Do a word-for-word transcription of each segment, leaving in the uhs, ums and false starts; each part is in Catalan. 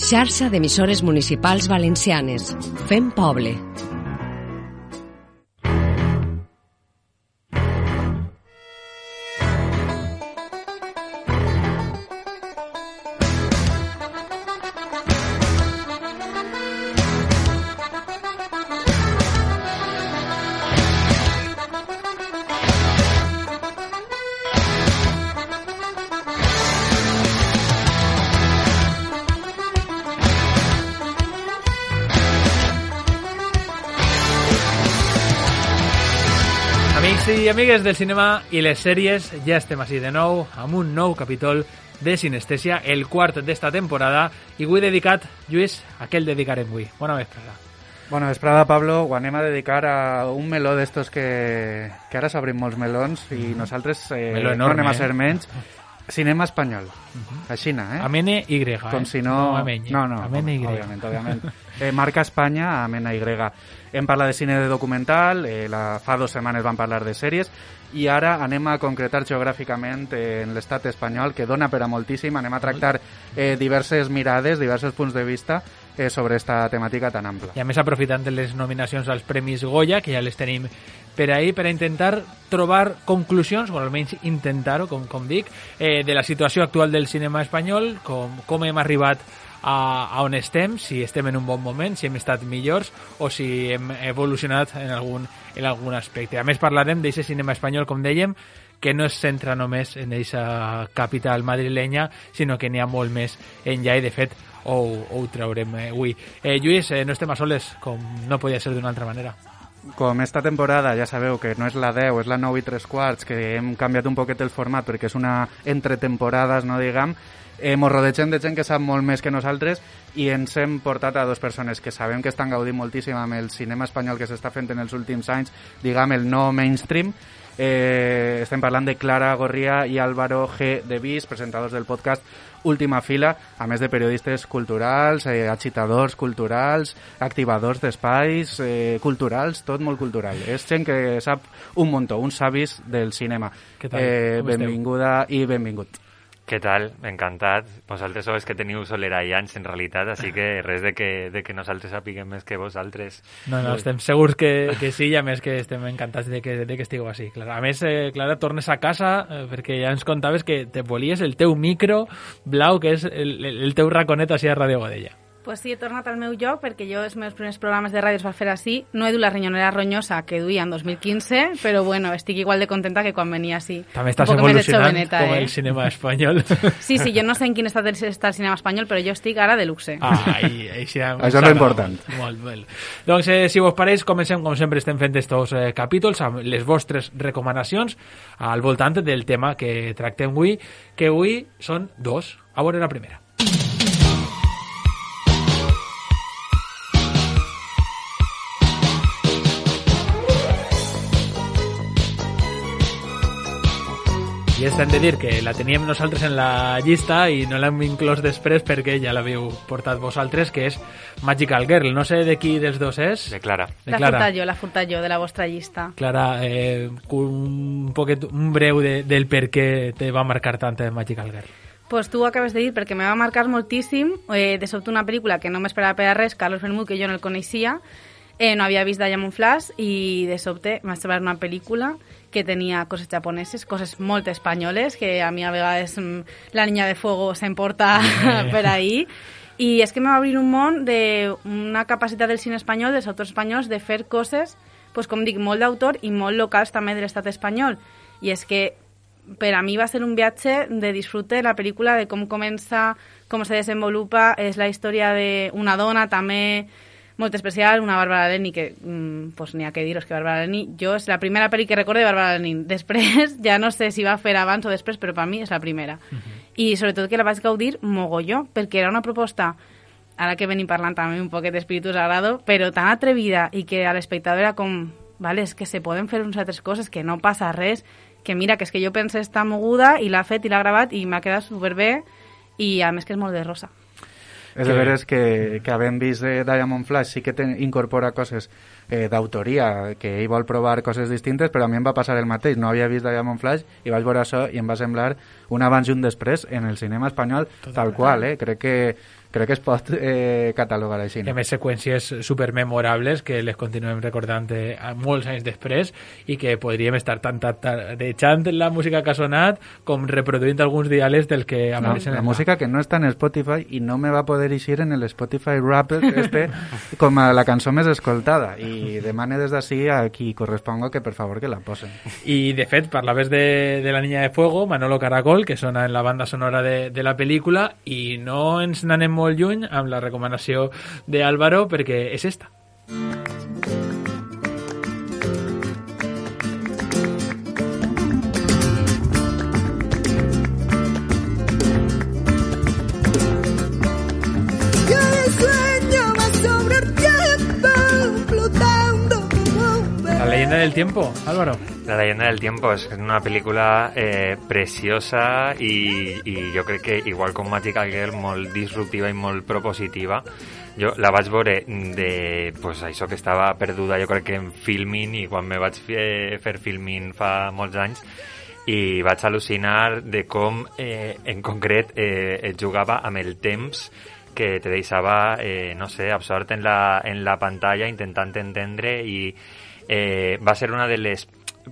Xarxa d'emissores municipals valencianes. Fem poble. I amigues del cinema i les sèries, ja estem així de nou amb un nou capítol de Sinestèsia, el quart d'esta temporada, i avui dedicat, Lluís, a què el dedicarem avui? Bona vesprada. Bona vesprada, Pablo. Ho anem a dedicar a un meló d'estos que, que ara s'obrin molts melons i nosaltres eh, enorme, no anem a ser eh? menys. Cinema espanyol. Uh-huh. A Xina, eh? Amb N Y, eh? Com si no... No, amb no, no, amb N Y. Òbviament, òbviament. Eh, marca Espanya amb N Y. Hem parlat de cine de documental, eh, la, fa dues setmanes vam parlar de sèries, i ara anem a concretar geogràficament eh, en l'estat espanyol, que dona per a moltíssim. Anem a tractar eh, diverses mirades, diversos punts de vista eh, sobre esta temàtica tan ampla. I a més, aprofitant de les nominacions als Premis Goya, que ja les tenim per ahir, per a intentar trobar conclusions, o almenys intentar-ho, com, com dic, eh, de la situació actual del cinema espanyol, com, com hem arribat a, a on estem, si estem en un bon moment, si hem estat millors o si hem evolucionat en algun, en algun aspecte. A més, parlarem d'aquest cinema espanyol, com dèiem, que no es centra només en aquesta capital madrilenya, sinó que n'hi ha molt més enllà, i de fet ho, ho traurem avui. Eh, Lluís, eh, no estem a soles, com no podia ser d'una altra manera. Com esta temporada, ja sabeu que no és la deu, és la nou i tres quarts, que hem canviat un poquet el format perquè és una entre temporades, no diguem, eh, mos rodegem de gent que sap molt més que nosaltres i ens hem portat a dues persones que sabem que estan gaudint moltíssim amb el cinema espanyol que s'està fent en els últims anys, diguem, el no mainstream. Eh, estem parlant de Clara Gorria i Álvaro G. de Vis, presentadors del podcast Última Fila, a més de periodistes culturals, eh, agitadors culturals, activadors d'espais eh, culturals, tot molt cultural. És gent que sap un muntó, uns savis del cinema. Què tal? Eh, Com benvinguda i benvingut. Què tal? Encantat. Vosaltres sou els que teniu soleraians, en realitat, així que res de que, de que nosaltres sapiguem més que vosaltres. No, no, estem segurs que, que sí, i a més que estem encantats de que, de que estigueu així. Clara. A més, eh, Clara, tornes a casa, eh, perquè ja ens contaves que te volies el teu micro blau, que és el, el teu raconet així a Ràdio Godella. Pues sí, he tornat al meu lloc perquè jo els meus primers programes de ràdio es va fer així. No he dut la rinyonera ronyosa que duia en dos mil quinze, però bueno, estic igual de contenta que quan venia així. També estàs evolucionant com el cinema espanyol. Sí, sí, jo no sé en quin estat està el cinema espanyol, però jo estic ara de luxe. Ah, i, i sí, això és l'important. Molt bé. Doncs, eh, si vos pareix, comencem, com sempre estem fent estos eh, capítols, amb les vostres recomanacions al voltant del tema que tractem avui, que avui són dos. A veure la primera. I és hem de dir que la teníem nosaltres en la llista i no l'hem inclòs després perquè ja l'havíeu portat vosaltres, que és Magical Girl. No sé de qui dels dos és. De Clara. De la Clara. furtat jo, la furtat jo, de la vostra llista. Clara, eh, un, poquet, un breu de, del per què te va marcar tant Magical Girl. Pues tu ho acabes de dir perquè me va marcar moltíssim. Eh, de sobte una pel·lícula que no m'esperava per a res, Carlos Bermúdez, que jo no el coneixia, eh, no havia vist Diamond Flash i de sobte m'ha semblat una pel·lícula que tenia coses japoneses, coses molt espanyoles, que a mi a vegades mm, la niña de fuego s'emporta per ahí. I és que me va obrir un món d'una capacitat del cine espanyol, dels autors espanyols, de fer coses, pues, com dic, molt d'autor i molt locals també de l'estat espanyol. I és que per a mi va ser un viatge de disfrute la pel·lícula, de com comença, com se desenvolupa, és la història d'una dona també molt especial, una Bàrbara Leni, que mmm, pues n'hi ha que dir-vos que Bàrbara Leni, jo és la primera pel·li que recordo de Bàrbara Leni. Després, ja no sé si va fer abans o després, però per mi és la primera. Uh-huh. I sobretot que la vaig gaudir mogolló, perquè era una proposta, ara que venim parlant també un poquet d'Espíritu Sagrado, però tan atrevida i que a l'espectador era com, vale, és que se poden fer unes altres coses, que no passa res, que mira, que és que jo pense estar moguda i l'ha fet i l'ha gravat i m'ha quedat superbé i a més que és molt de rosa. És de veres que, que havent vist eh, Diamond Flash sí que te incorpora coses eh, d'autoria, que ell vol provar coses distintes, però a mi em va passar el mateix. No havia vist Diamond Flash i vaig veure això i em va semblar un abans i un després en el cinema espanyol, Total. tal qual, eh? Crec que crec que es pot eh, catalogar així. No? I a més seqüències supermemorables que les continuem recordant eh, molts anys després i que podríem estar tant tarejant la música que ha sonat com reproduint alguns diàlegs del que apareixen. No, la música que no està en Spotify i no me va poder eixir en el Spotify Wrapped este com a la cançó més escoltada i demane des d'ací a qui corresponga que per favor que la posen. I de fet parlaves de, de La Niña de Fuego, Manolo Caracol, que sona en la banda sonora de, de la pel·lícula i no ens n'anem molt lluny amb la recomanació d'Álvaro perquè és esta. La leyenda del tiempo, Álvaro. La leyenda del tiempo és una pel·lícula eh, preciosa i, i jo crec que, igual com Magical Girl, molt disruptiva i molt propositiva. Jo la vaig veure de, pues, això que estava perduda, jo crec que en filming, i quan me vaig fer, fer filming fa molts anys, i vaig al·lucinar de com, eh, en concret, eh, et jugava amb el temps que te deixava, eh, no sé, absort en la, en la pantalla, intentant entendre, i eh, va ser una de les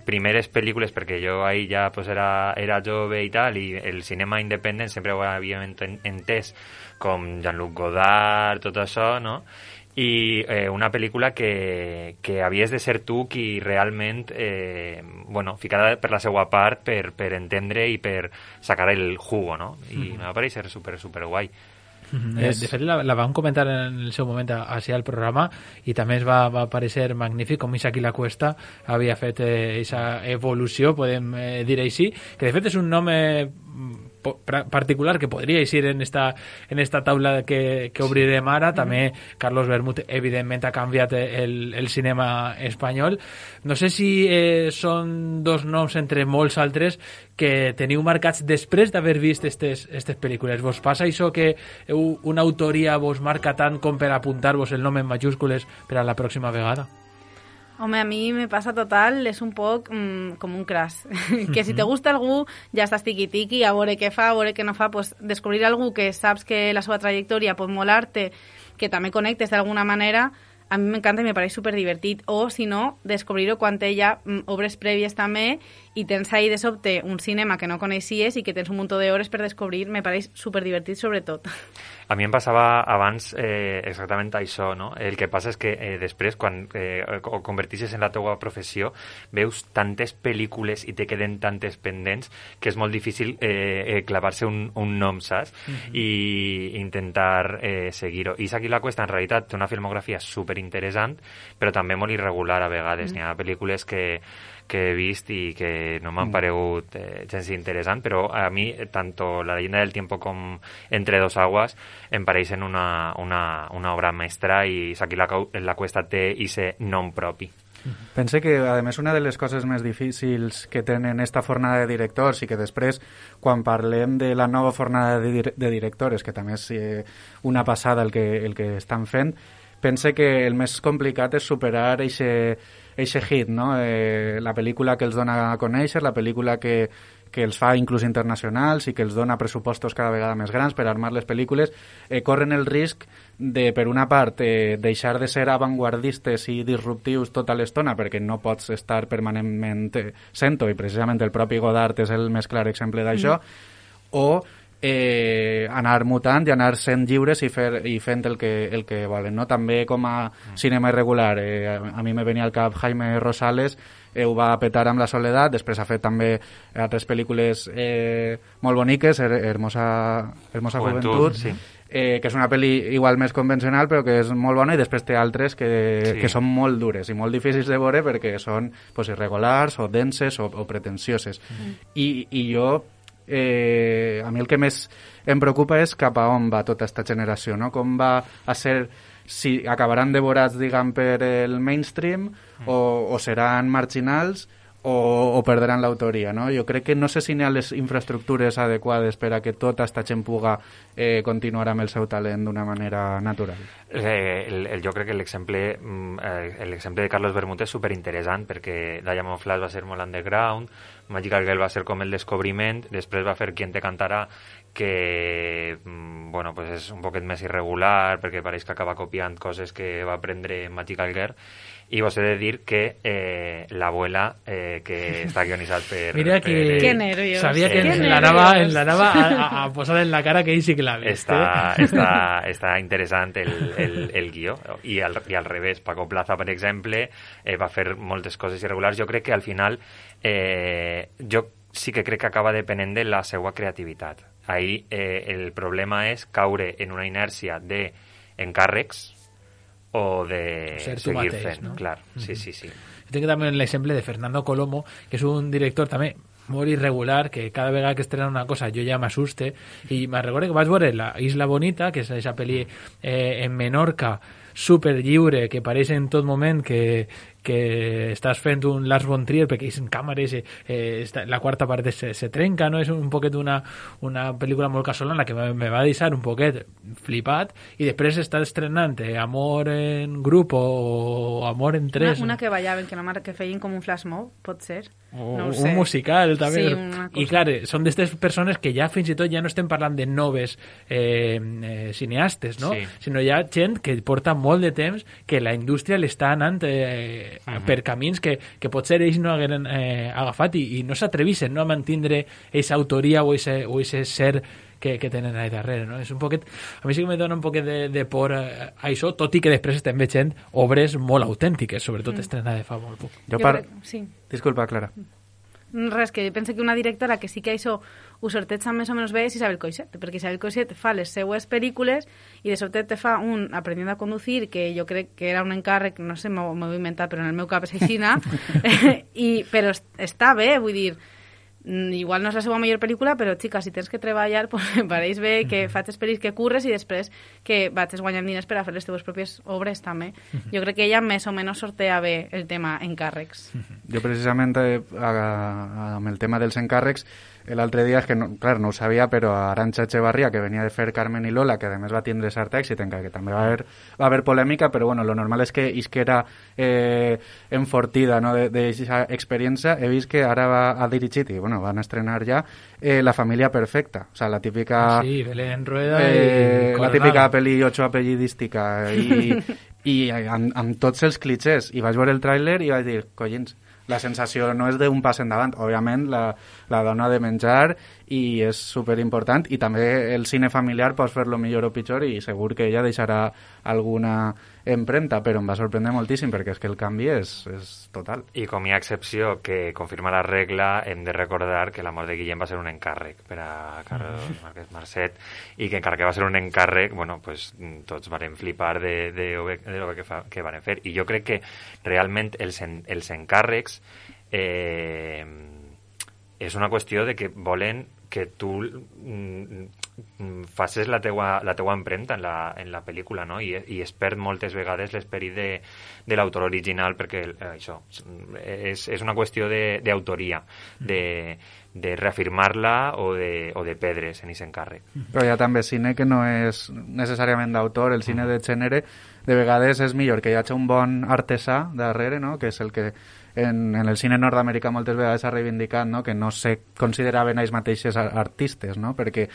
primeres pel·lícules, perquè jo ahir ja pues, era, era jove i tal, i el cinema independent sempre ho havíem entès com Jean-Luc Godard, tot això, no? I eh, una pel·lícula que, que havies de ser tu qui realment, eh, bueno, ficada per la seva part per, per entendre i per sacar el jugo, no? I mm. me va parèixer super, super guai. Mm-hmm. És... De fet, la, la vam comentar en el seu moment així al programa i també es va, va parecer magnífic com Isaac i la Cuesta havia fet aquesta eh, evolució, podem eh, dir així, que de fet és un nom eh, particular que podria eixir en esta, en esta taula que, que obrirem ara. També Carlos Bermúdez evidentment ha canviat el, el cinema espanyol. No sé si eh, són dos noms entre molts altres que teniu marcats després d'haver vist estes, estes pel·lícules. Vos passa això que una autoria vos marca tant com per apuntar-vos el nom en majúscules per a la pròxima vegada? Home, a mi me passa total, és un poc mm, com un crash. Que si te gusta algú, ja estàs tiqui-tiqui, a veure què fa, a veure què no fa, pues descobrir algú que saps que la seva trajectòria pot molar-te, que també connectes d'alguna manera, a mi m'encanta i me pareix superdivertit. O, si no, descobrir-ho quan té ja mm, obres prèvies també i tens ahí de sobte un cinema que no coneixies i que tens un munt d'hores per descobrir, me pareix superdivertit sobretot. A mi em passava abans eh, exactament això, no? El que passa és que eh, després, quan eh, ho convertixes en la teua professió, veus tantes pel·lícules i te queden tantes pendents que és molt difícil eh, eh, clavar-se un, un nom, saps? Mm-hmm. I intentar eh, seguir-ho. Isaac i la Cuesta, en realitat, té una filmografia superinteressant, però també molt irregular a vegades. Mm. N'hi ha pel·lícules que que he vist i que no m'han paregut eh, gens interessant, però a mi tant La leyenda del tiempo com Entre dos aguas em pareixen una, una, una obra mestra i Isaac i la, la Cuesta té ese nom propi. Pense que, a més, una de les coses més difícils que tenen esta fornada de directors i que després, quan parlem de la nova fornada de, dir de directores, que també és eh, una passada el que, el que estan fent, pense que el més complicat és superar eixe, eixe hit, no? Eh, la pel·lícula que els dona a conèixer, la pel·lícula que, que els fa inclús internacionals i que els dona pressupostos cada vegada més grans per armar les pel·lícules, eh, corren el risc de, per una part, eh, deixar de ser avantguardistes i disruptius tota l'estona, perquè no pots estar permanentment sent-ho, i precisament el propi Godard és el més clar exemple d'això, mm. o Eh, anar mutant i anar sent lliures i, fer, i fent el que, el que volen, no? També com a cinema irregular, eh, a mi me venia al cap Jaime Rosales, eh, ho va petar amb La Soledat, després ha fet també altres pel·lícules eh, molt boniques, Hermosa, Hermosa Juventud, Juventud sí. eh, que és una pel·li igual més convencional però que és molt bona, i després té altres que, sí. que són molt dures i molt difícils de veure perquè són pues, irregulars o denses o, o pretensioses. Mm. I, i jo Eh, a mi el que més em preocupa és cap a on va tota aquesta generació, no? Com va a ser, si acabaran devorats, diguem, per el mainstream, mm. o, o seran marginals, o, o perdran l'autoria, no? Jo crec que no sé si n'hi ha les infraestructures adequades per a que tota esta gent puga eh, continuar amb el seu talent d'una manera natural. Eh, el, el, jo crec que l'exemple eh, l'exemple de Carlos Bermúdez és superinteressant, perquè Diamond Flash va ser molt underground, Magical Girl va ser com el descobriment, després va fer Quien te cantarà, que bueno, pues és un poquet més irregular, perquè pareix que acaba copiant coses que va aprendre Magical Girl, i vos he de dir que eh, l'abuela, eh, que està guionitzat per... Mira que... Per, que nervios. Sabia que que en l'anava en l'anava a, a, a posar en la cara que ell sí que l'ha vist. Està, eh? està, està interessant el, el, el guió. I al, I al revés, Paco Plaza, per exemple, eh, va fer moltes coses irregulars. Jo crec que al final eh, jo sí que crec que acaba depenent de la seva creativitat. Ahí eh, el problema és caure en una inèrcia d'encàrrecs o de Ser tu seguir mateix, fent, no? clar, sí, Mm-hmm. sí, sí. Jo tinc també l'exemple de Fernando Colomo, que és un director també molt irregular, que cada vegada que estrena una cosa jo ja m'assuste, i me'n recordo que vaig veure La Isla Bonita, que és aquesta pel·li eh, en Menorca, super lliure, que pareix en tot moment que, que estàs fent un Lars von Trier, perquè és en càmeres, eh, eh, la quarta part se, se trenca, no? És un poquet una, una pel·lícula molt casolana que me, me va deixar un poquet flipat, i després està estrenant eh, Amor en grup o Amor en tres. Una, una que ballaven, que, no, que feien com un flash mob, pot ser? O, No ho sé. un musical també. Sí, una cosa. I clar, són d'aquestes persones que ja fins i tot ja no estem parlant de noves eh, eh, cineastes, no? Sí. Sinó hi ha gent que porta molt de temps que la indústria l'està anant eh, uh -huh. per camins que, que potser ells no hagueren eh, agafat i, i no s'atrevissen, no, a mantindre aquesta autoria o aquest ser que, que tenen allà darrere, no? És un poquet... A mi sí que me dona un poquet de, de por eh, a això, tot i que després estem veient obres molt autèntiques, sobretot mm. estrenades fa molt poc. Jo Jo par... crec- sí. Disculpa, Clara. Res, que penso que una directora que sí que això ho sorteja més o menys bé és Isabel Coixet, perquè Isabel Coixet fa les seues pel·lícules i de sobte te fa un Aprendiendo a conducir, que jo crec que era un encàrrec, no sé, m'ho m'ho he inventat, però en el meu cap és aixina, i, però est- està bé, vull dir, mm, igual no és la seva millor pel·lícula, però, xica, si tens que treballar, pues, em pareix bé que faig esperis que curres i després que vaig guanyant diners per a fer les teves pròpies obres, també. Jo crec que ella més o menys sortea bé el tema encàrrecs. Jo precisament eh, a, a, amb el tema dels encàrrecs l'altre dia, és que no, clar, no ho sabia, però Arantxa Echevarría, que venia de fer Carmen i Lola, que a més va tindre cert èxit, encara que també va haver, va haver polèmica, però bueno, lo normal és que isquera eh, enfortida, no, d'aquesta experiència. He vist que ara va, ha dirigit, i bueno, van estrenar ja, eh, La família perfecta, o sea, la típica... Ah, sí, Belén Rueda eh, i la típica pel·li ocho apellidística, i, i amb, amb tots els clichés. I vaig veure el tràiler i vaig dir, collins, la sensació no és d'un pas endavant. Òbviament, la, la dona de menjar i és superimportant, i també el cine familiar pots fer-lo millor o pitjor i segur que ella deixarà alguna empremta, però em va sorprendre moltíssim perquè és que el canvi és, és total. I com hi ha excepció que confirma la regla, hem de recordar que la mort de Guillem va ser un encàrrec per a Carlos Márquez Marcet, i que encara que va ser un encàrrec, bueno, pues tots varen flipar de, de, de, de lo que, fa, que van fer. I jo crec que realment els, en, els encàrrecs eh, és una qüestió de que volen que tu mm, facis la teua, la teua empremta en la, en la pel·lícula, no? I, i es perd moltes vegades l'esperit de, de l'autor original, perquè eh, això és, és una qüestió d'autoria, de, de reafirmar-la o de, o de perdre's en aquest encàrrec. Però hi ha també cine que no és necessàriament d'autor, el cine de gènere de vegades és millor que hi hagi un bon artesà darrere, no? Que és el que en, en el cine nord-americà moltes vegades s'ha reivindicat, no? Que no se consideraven ells mateixos artistes, no? Perquè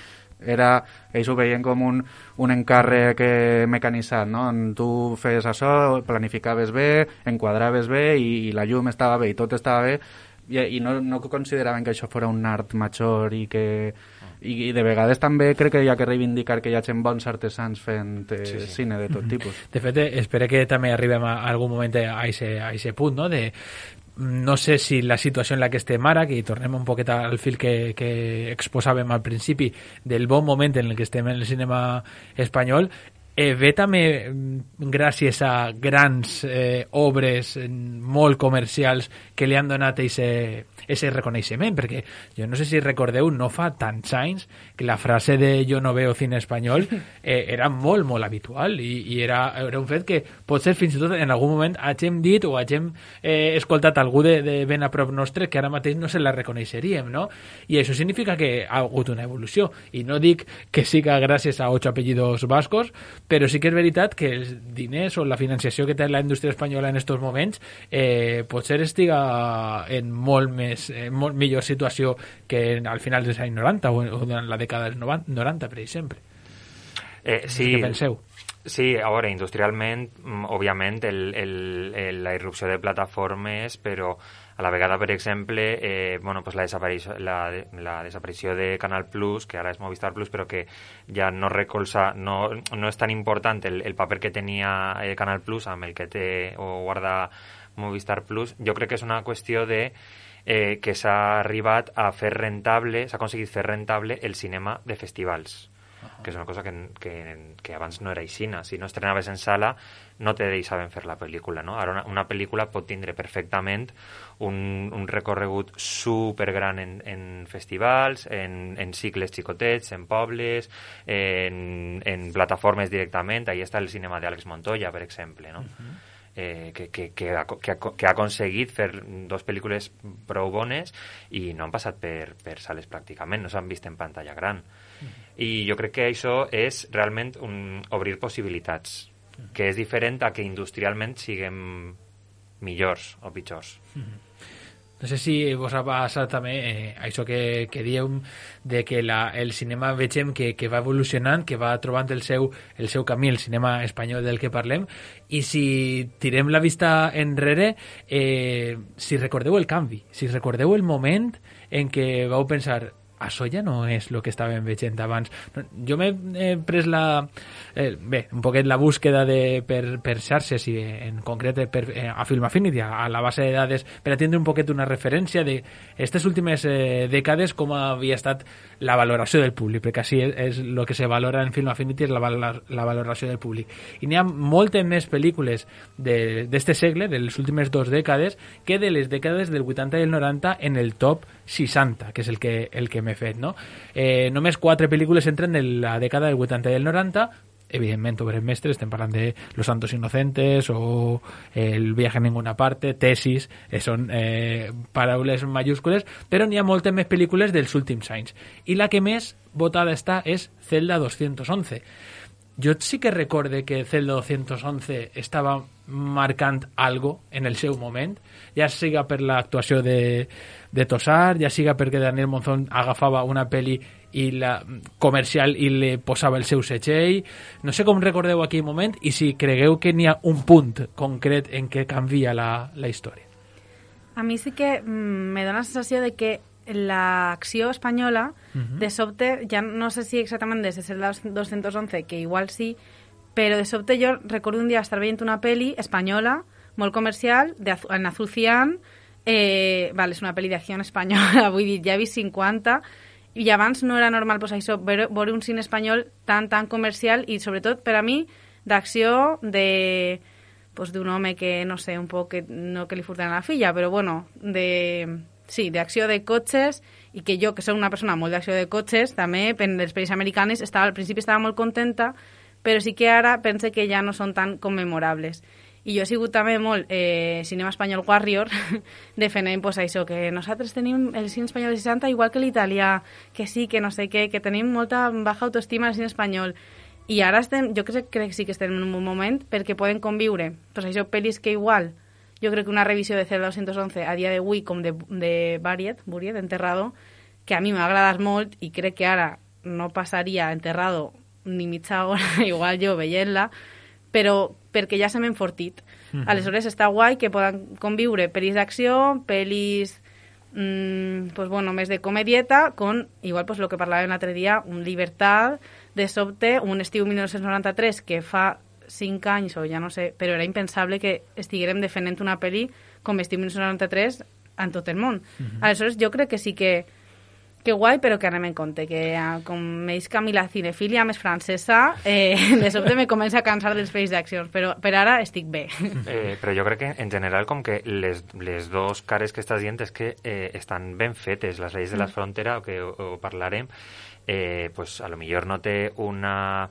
era, ells ho veien com un, un encàrrec eh, mecanitzat, no? On tu fes això, planificaves bé, enquadraves bé i, i la llum estava bé i tot estava bé, i, i no, no consideraven que això fos un art major i que... I, i de vegades també crec que hi ha que reivindicar que hi hagi bons artesans fent eh, sí, sí. cine de tot tipus. De fet, espero que també arribem a algun moment a aquest punt, no? De, no sé si la situació en la que estem ara, que tornem un poquet al fil que, que exposàvem al principi del bon moment en el que estem en el cinema espanyol, eh, ve també gràcies a grans eh, obres molt comercials que li han donat ese, ese reconeixement, perquè jo no sé si recordeu, no fa tants anys que la frase de jo no veo cine espanyol eh, era molt, molt habitual i, i era, era un fet que potser fins i tot en algun moment hagin dit o hagin eh, escoltat algú de, de ben a prop nostre que ara mateix no se la reconeixeríem, no? I això significa que ha hagut una evolució, i no dic que siga gràcies a ocho apellidos vascos, però sí que és veritat que els diners o la financiació que té la indústria espanyola en aquests moments eh, potser estiga en molt més en molt millor situació que al final dels anys noranta o, o durant la dècada dels noranta, per exemple. Eh, sí, què penseu? Sí, a veure, industrialment, òbviament, el, el, el, la irrupció de plataformes, però a la vegada, per exemple, eh, bueno, pues la, desaparició, la, la desaparició de Canal Plus, que ara és Movistar Plus, però que ja no recolza, no, no és tan important el, el paper que tenia eh, Canal Plus amb el que té o guarda Movistar Plus. Jo crec que és una qüestió de eh, que s'ha arribat a fer rentable, s'ha aconseguit fer rentable el cinema de festivals, que és una cosa que, que, que abans no era aixina. Si no estrenaves en sala, no te deixaven fer la pel·lícula, no? Ara una, una pel·lícula pot tindre perfectament un, un recorregut supergran en, en festivals, en, en cicles xicotets, en pobles, en, en plataformes directament. Ahí està el cinema d'Àlex Montoya, per exemple, no? Uh-huh. Eh, que, que, que, ha, que, ha, que ha aconseguit fer dos pel·lícules prou bones i no han passat per, per sales pràcticament, no s'han vist en pantalla gran. Mm. I jo crec que això és realment un, obrir possibilitats, mm. que és diferent a que industrialment siguem millors o pitjors. Mm. No sé si vos ha passat també eh, això que, que dieu de que la, el cinema vegem que, que va evolucionant, que va trobant el seu, el seu camí, el cinema espanyol del que parlem, i si tirem la vista enrere, eh, si recordeu el canvi, si recordeu el moment en què vau pensar això ja no és el que estàvem veient abans. Jo m'he eh, pres la... Eh, bé, un poquet la búsqueda de, per, per xarxes i en concret per, eh, a Film Affinity, a, a la base de dades, per atendre un poquet una referència de aquestes últimes eh, dècades com havia estat la valoració del públic, perquè així és, és el que se valora en Film Affinity, és la, valor, la valoració del públic. I n'hi ha moltes més pel·lícules d'este segle, de les últimes dues dècades, que de les dècades del vuitanta i el noranta en el top seixanta, que és el que, el que m'he fet, no? Eh, només quatre pel·lícules entren en la dècada del vuitanta i el noranta, evidentment obres mestres, estem parlant de Los Santos Inocentes o El viaje a ninguna parte, Tesis, eh, són eh, paraules majúscules, però n'hi ha moltes més pel·lícules dels últims anys. I la que més votada està és Celda doscientos once. Jo sí que recorde que Celda doscientos once estava marcant algo en el seu moment, ja siga per l'actuació de, de Tosar, ja siga perquè Daniel Monzón agafava una pel·li i la comercial i li posava el seu setxell. No sé com recordeu aquell moment i si cregueu que n'hi ha un punt concret en què canvia la, la història. A mi sí que mm, me dona la sensació de que l'acció espanyola, uh-huh. de sobte, ja no sé si exactament des de Celda doscientos once, que igual sí, però de sobte jo recordo un dia estar veient una pel·li espanyola, molt comercial, de, en azul cian, eh, vale, és una pel·li d'acció espanyola, vull dir, ja he vist cinquanta, i abans no era normal pues, això, veure, veure un cine espanyol tan, tan comercial i sobretot per a mi d'acció de pues, d'un home que, no sé, un poc que, no que li furten a la filla, però bueno, de... Sí, d'acció de cotxes, i que jo, que soc una persona molt d'acció de cotxes, també, en les pel·lis americanes, estava, al principi estava molt contenta, però sí que ara pense que ja no són tan commemorables. I jo he sigut també molt eh, cinema espanyol warrior, defendent pues, això, que nosaltres tenim el cine espanyol de seixanta igual que l'italià, que sí, que no sé què, que tenim molta baja autoestima al cine espanyol. I ara estem, jo crec, crec que sí que estem en un moment perquè poden conviure, pues, això, pel·lis que igual... Jo crec que una revisió de Celda doscientos once a dia d'avui com de, de Buried, Buried, Enterrado, que a mi m'ha agradat molt i crec que ara no passaria Enterrado ni mitja hora, igual jo veient-la, però perquè ja se m'ha enfortit. Uh-huh. Aleshores està guai que poden conviure pel·lis d'acció, pel·lis mmm, pues bueno, més de comedieta, con, igual pues, lo que parlàvem l'altre dia, un Libertad, de sobte, un estiu mil nou-cents noranta-tres que fa cinc anys o ja no sé, però era impensable que estiguérem defendent una pel·li com Estiu mil nou-cents noranta-tres en tot el món. Uh-huh. Aleshores, jo crec que sí que Que guai, però que anem en compte, que com veig que a mi la cinefília més francesa, eh, de sobte me comença a cansar dels pel·lis d'accions, però per ara estic bé. Eh, però jo crec que en general com que les, les dos cares que estàs dient és que eh, estan ben fetes, les lleis de la frontera, o que ho, ho parlarem, eh, pues a lo millor no té una...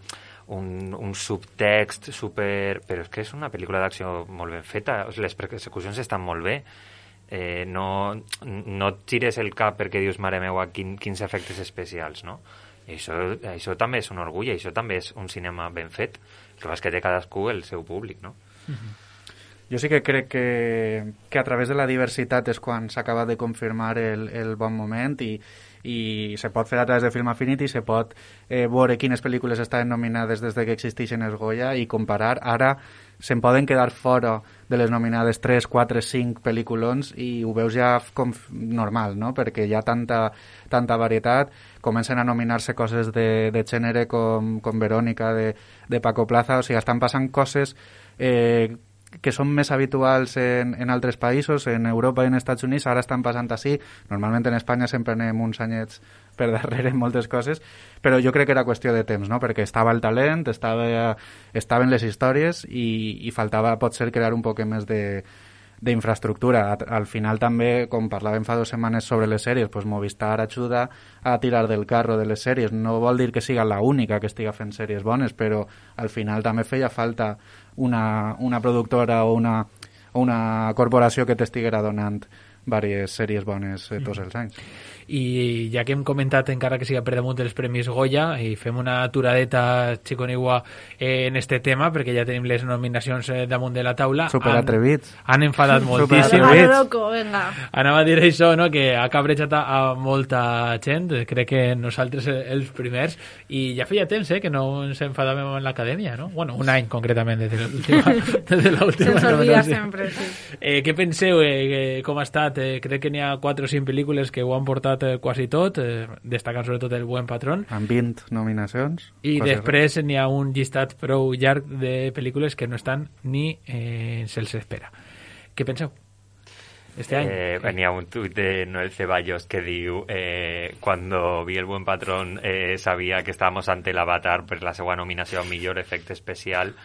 Un, un subtext super... Però és que és una pel·lícula d'acció molt ben feta, les persecucions estan molt bé. Eh, no, no et gires el cap perquè dius, mare meua, quin, quins efectes especials, no? I això, això també és un orgull, i això també és un cinema ben fet. El que és que té cadascú el seu públic, no? Uh-huh. Jo sí que crec que, que a través de la diversitat és quan s'acaba de confirmar el, el bon moment i, i se pot fer a través de Film Affinity, se pot eh, veure quines pel·lícules estaven nominades des de que existeixen els Goya i comparar. Ara se'n poden quedar fora de les nominades tres, quatre, cinc pel·lículons i ho veus ja com normal, no? Perquè hi ha tanta, tanta varietat, comencen a nominar-se coses de, de gènere com, com Verònica de, de Paco Plaza, o sigui, estan passant coses eh, que són més habituals en, en altres països, en Europa i en Estats Units, ara estan passant així. Normalment en Espanya sempre anem uns anyets per darrere en moltes coses, però jo crec que era qüestió de temps, no? Perquè estava el talent, estava, estaven les històries i, i faltava, potser, crear un poc més de d'infraestructura. Al final també, com parlàvem fa dues setmanes sobre les sèries, pues Movistar ajuda a tirar del carro de les sèries. No vol dir que siga l'única que estiga fent sèries bones, però al final també feia falta una, una productora o una, una corporació que t'estiguera donant diverses sèries bones eh, tots els anys. I ja que hem comentat, encara que siga per damunt dels Premis Goya, i fem una aturadeta xiconigua eh, en este tema, perquè ja tenim les nominacions eh, damunt de la taula. Superatrevits. Han, han enfadat moltíssim. Loco, venga. Anava a dir això, no?, que ha cabrejat a, a molta gent, crec que nosaltres els primers, i ja feia temps eh, que no ens enfadàvem en l'acadèmia, no? Bueno, un any concretament, des de l'última nominació. Se'ns olvida sempre, sí. Eh, què penseu? Eh, com ha estat? Eh, crec que n'hi ha quatre o cinc pel·lícules que ho han portat eh, quasi tot, eh, destacant sobretot El buen patrón. Amb vint nominacions. I després n'hi ha un llistat prou llarg de pel·lícules que no estan ni eh, se'ls espera. Què penseu? Este any? Eh, N'hi ha un tuit de Noel Ceballos que diu eh, cuando vi El buen patrón eh, sabia que estábamos ante l'Avatar per la seva nominació a millor efecte especial.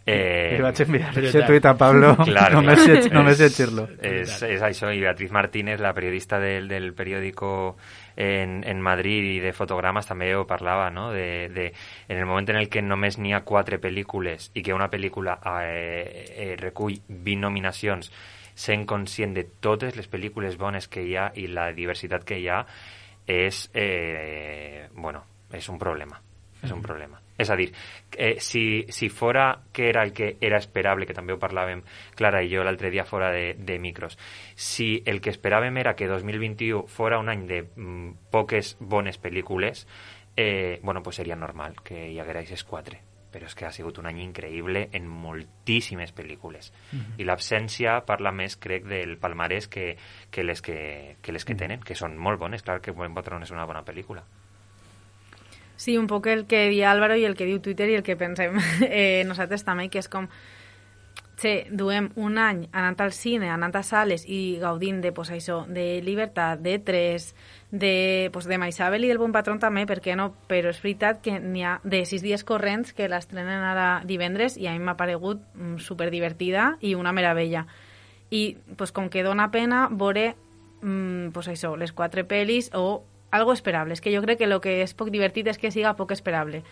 Eh, Li vaig enviar aquest tuit a Pablo, claro, només, claro. només llegir-lo. És, és això, i Beatriz Martínez, la periodista del, del periòdico en, en Madrid i de fotogrames, també ho parlava, no? De, de, en el moment en el que només n'hi ha quatre pel·lícules i que una pel·lícula eh, eh, recull vint nominacions, sent conscient de totes les pel·lícules bones que hi ha i la diversitat que hi ha, és, eh, bueno, és un problema. És un problema. És a dir, eh, si, si fora que era el que era esperable, que també ho parlàvem Clara i jo l'altre dia fora de, de micros, si el que esperàvem era que dos mil vint-i-u fora un any de mm, poques bones pel·lícules, eh, bueno, pues seria normal que hi haguera aquestes quatre. Però és que ha sigut un any increïble en moltíssimes pel·lícules. Uh-huh. I l'absència parla més, crec, del palmarès que, que, les que, que les que tenen, que són molt bones. Clar que Buen Patrón és una bona pel·lícula. Sí, un poc el que diu Álvaro i el que diu Twitter i el que pensem eh, nosaltres també, que és com che, duem un any anant al cine, anant a sales i gaudint de, pues, això, de Llibertat, de Tres, de, pues, de Maisabel i del Bon Patrón també, per què no? Però és veritat que n'hi ha de sis dies corrents que l'estrenen ara divendres i a mi m'ha paregut mm, superdivertida i una meravella. I pues, com que dona pena veure mm, pues, això, les quatre pel·lis o algo esperable. És que jo crec que el que és poc divertit és que siga poc esperable.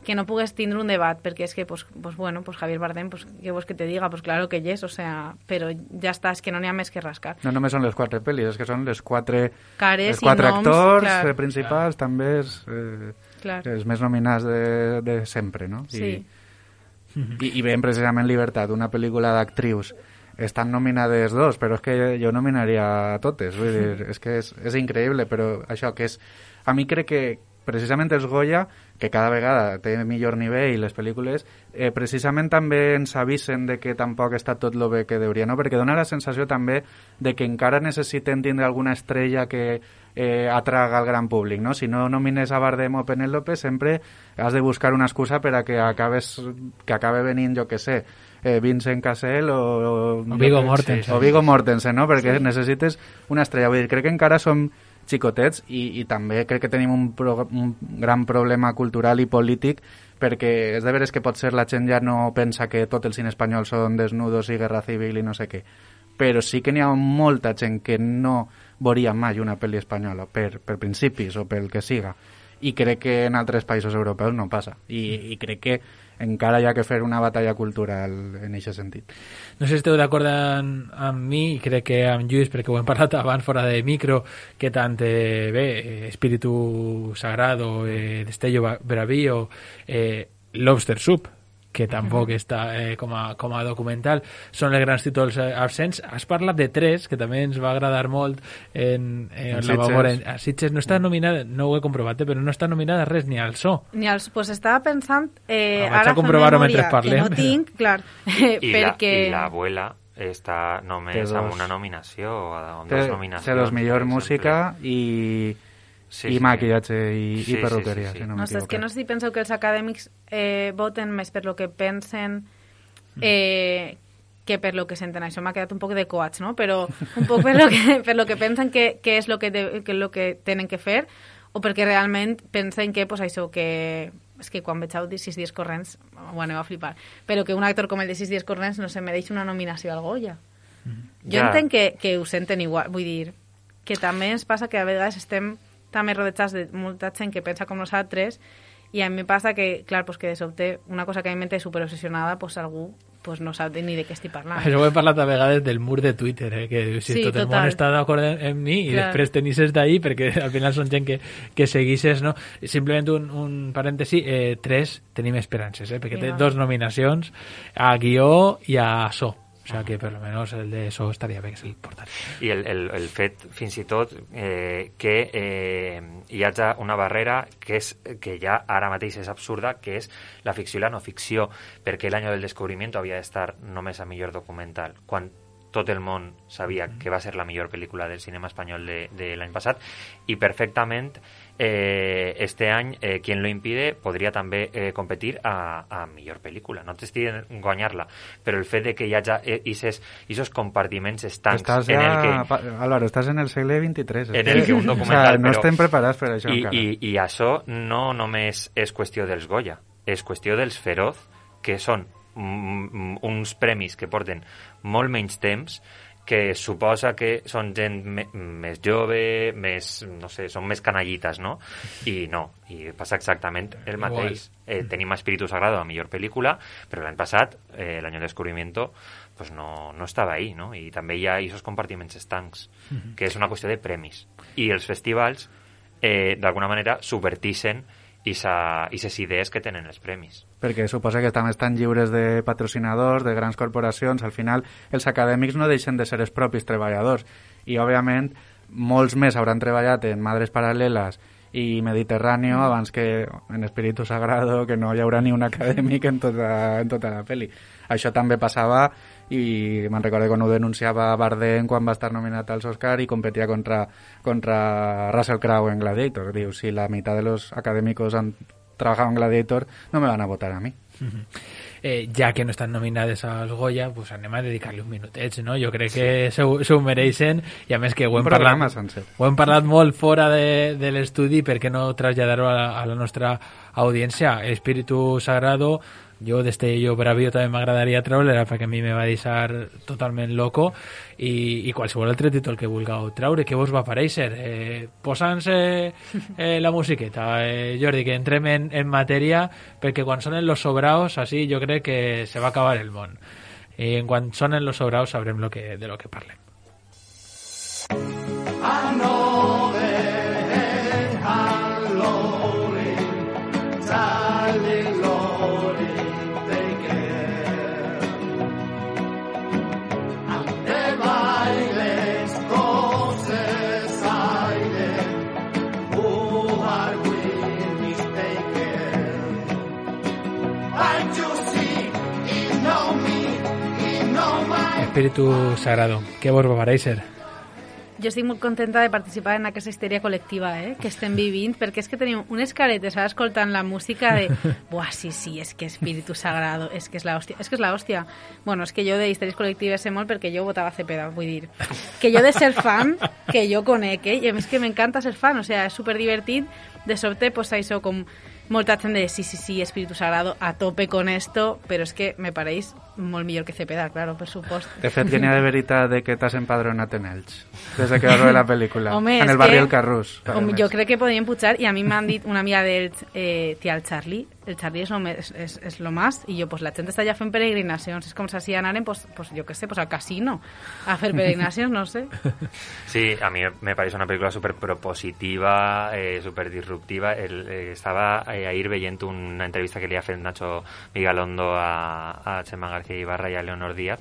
Que no pugues tindre un debat, perquè és que, pues, pues bueno, pues Javier Bardem, pues, què vols que te diga? Pues claro que yes, o sea, però ja està, és que no n'hi ha més que rascar. No només són les quatre pel·lis, és que són les quatre, Cares les quatre i noms, actors clar. eh, principals, clar. També és, eh, clar. els més nominats de, de sempre, no? Sí. I, i, i veiem precisament Llibertat, una pel·lícula d'actrius. Estan nominades dos, però és que jo nominaria totes. Vull dir, és que és, és increïble, però això que és... A mi crec que precisament els Goya, que cada vegada té millor nivell les pel·lícules, eh, precisament també ens avisen de que tampoc està tot lo bé que deuria, no? Perquè dona la sensació també de que encara necessiten tindre alguna estrella que eh, atraga al gran públic, no? Si no nomines a Bardem o Penélope, sempre has de buscar una excusa per a que acabes, que acabe venint, jo que sé, eh, Vincent Cassel o, o Viggo Mortensen. O Viggo Mortensen, no? Perquè sí. Necessites una estrella. Vull dir, crec que encara som xicotets, i, i també crec que tenim un, pro, un gran problema cultural i polític, perquè és de veres que potser la gent ja no pensa que tot el cine espanyol són desnudos i guerra civil i no sé què, però sí que n'hi ha molta gent que no veuria mai una pel·li espanyola per, per principis o pel que siga, i crec que en altres països europeus no passa, i, i crec que encara hi ha que fer una batalla cultural en aquest sentit. No sé si esteu d'acord amb, amb mi, i crec que amb Lluís, perquè ho hem parlat abans fora de micro, que tant eh, bé, Espíritu Sagrado, eh, Destello Bravío, eh, Lobster Soup, que tampoc està eh, com, a, com a documental, són els grans títols eh, absents. Has parlat de tres, que també ens va agradar molt en, en, en la memòria. A Sitges no està nominada, no ho he comprovat, però no està nominada res, ni al so. Ni al so. Pues estava pensant, eh, ah, ara fa memòria que no tinc, clar, eh, I perquè... La, I l'abuela està només amb una nominació, amb dues nominacions. Té dos millor música i... Sí, i sí, maquillatge i, sí, i perruqueria, sí, sí, sí. si no No sé, és que no sé si penseu que els acadèmics eh, voten més per lo que pensen eh, que per lo que senten. Això m'ha quedat un poc de coats, no? Però un poc per lo que, per lo que pensen que, que és lo que, de, que, lo que tenen que fer, o perquè realment pensen que, pues, això, que... És que quan veig el de sis dies corrents, bueno, va flipar. Però que un actor com el de sis dies corrents no se mereix una nominació al Goya. Mm. Jo ja. entenc que, que ho senten igual. Vull dir, que també ens passa que a vegades estem també rodejats de molta gent que pensa com nosaltres, i a mi passa que, clar, pues que de sobte una cosa que a mi m'he superobsessionada, pues algú pues no sap ni de què estic parlant. Això ho he parlat a vegades del mur de Twitter, eh? Que si sí, tot total. El món està d'acord amb mi i clar. Després tenisses d'ahir, perquè al final són gent que, que seguisses, no? Simplement un, un parèntesi, eh, tres tenim esperances, eh? Perquè sí, té no. dos nominacions, a guió i a so. O sea que per lo menos el de eso estaria bé, que és l'important. I el, el, el fet, fins i tot, eh, que eh, hi hagi una barrera que, és, que ja ara mateix és absurda, que és la ficció i la no ficció, perquè l'any del descobriment havia d'estar només a millor documental, quan tot el món sabia que va ser la millor pel·lícula del cinema espanyol de, de l'any passat, i perfectament eh, este any eh, Quien lo impide podria també eh, competir a, a millor pel·lícula. No t'estic en guanyar-la, però el fet de que hi hagi aquests compartiments estancs estàs en el que... Ja, Álvaro, estàs en el segle vint-i-tres. En el que un documental... O sea, no estem preparats per això I, encara. I, I això no només és qüestió dels Goya, és qüestió dels Feroz, que són uns premis que porten molt menys temps, que suposa que són gent me, més jove, més, no sé, són més canallites, no? I no, i passa exactament el mateix. Eh, tenim Espíritu Sagrado, la millor pel·lícula, però l'any passat, eh, l'any del descobrimiento, pues no, no estava ahí, no? I també hi ha aquests compartiments estancs, uh-huh. que és una qüestió de premis. I els festivals, eh, d'alguna manera, subvertixen i aquestes idees que tenen els premis. Perquè suposa que també estan lliures de patrocinadors, de grans corporacions. Al final, els acadèmics no deixen de ser els propis treballadors. I, òbviament, molts més hauran treballat en Madres Paral·leles i Mediterráneo mm. abans que en Espíritu Sagrado, que no hi haurà ni un acadèmic en tota, en tota la pel·li. Això també passava, i me'n recordo quan ho denunciava Bardem quan va estar nominat als Oscar i competia contra, contra Russell Crowe en Gladiator. Diu, si la meitat de los académicos han trabajado en Gladiator, no me van a votar a mí. Uh-huh. Eh, ja que no estan nominades als Goya, pues anem a dedicar-li un minutet, no? Jo crec que sí. se, se ho mereixen, i a més que ho hem, parlat, ho hem parlat molt fora de, de l'estudi, per què no traslladar-ho a, la, a la nostra audiència. Espíritu Sagrado, jo Destello Bravío també m'agradaria treure, perquè a mi me va deixar totalment loco, i, i qualsevol altre títol que vulgueu treure. Què vos va aparèixer? Eh, Posant-nos eh, la musiqueta, eh, Jordi, que entrem en, en matèria, perquè quan sonen los sobraos, así jo crec que se va acabar el món. I en quan sonen los sobraos sabrem lo que, de lo que parlem. I know that I'm lonely, darling, lonely. Espíritu Sagrado, què vos va aparèixer? Jo estic molt contenta de participar en aquesta histèria col·lectiva eh, que estem vivint, perquè és que tenim unes caretes ara escoltant la música de buah, sí, sí, és que Espíritu Sagrado, és que és la hòstia, és que és la hòstia. Bueno, és que jo de histèries col·lectives sé molt perquè jo votava Cepeda, vull dir, que jo de ser fan, que jo conec, eh, i a més que m'encanta ser fan, o sea, és superdivertit, de sobte, pues això, com molta gent de sí, sí, sí, Espíritu Sagrado, a tope con esto, però és que me pareix molt millor que Cepeda, claro, per supost. De fet, que n'hi ha de veritat de que t'has empadronat en ells, des de que vas veure la pel·lícula. Home, en el barri del Carrús. Home, jo crec que podríem pujar, i a mi m'han dit una amiga d'ells, eh, tia, el Charlie, el Charlie és lo, més, és, és lo más, i jo, pues la gent està ja fent peregrinacions, és com si anaren, pues, pues jo què sé, pues al casino, a fer peregrinacions, no sé. Sí, a mí me parece una película súper propositiva, eh, súper disruptiva. El, eh, estaba eh, ahir veient una entrevista que li ha fet Nacho Vigalondo a, a Chema García Ibarra i a Leonor Díaz,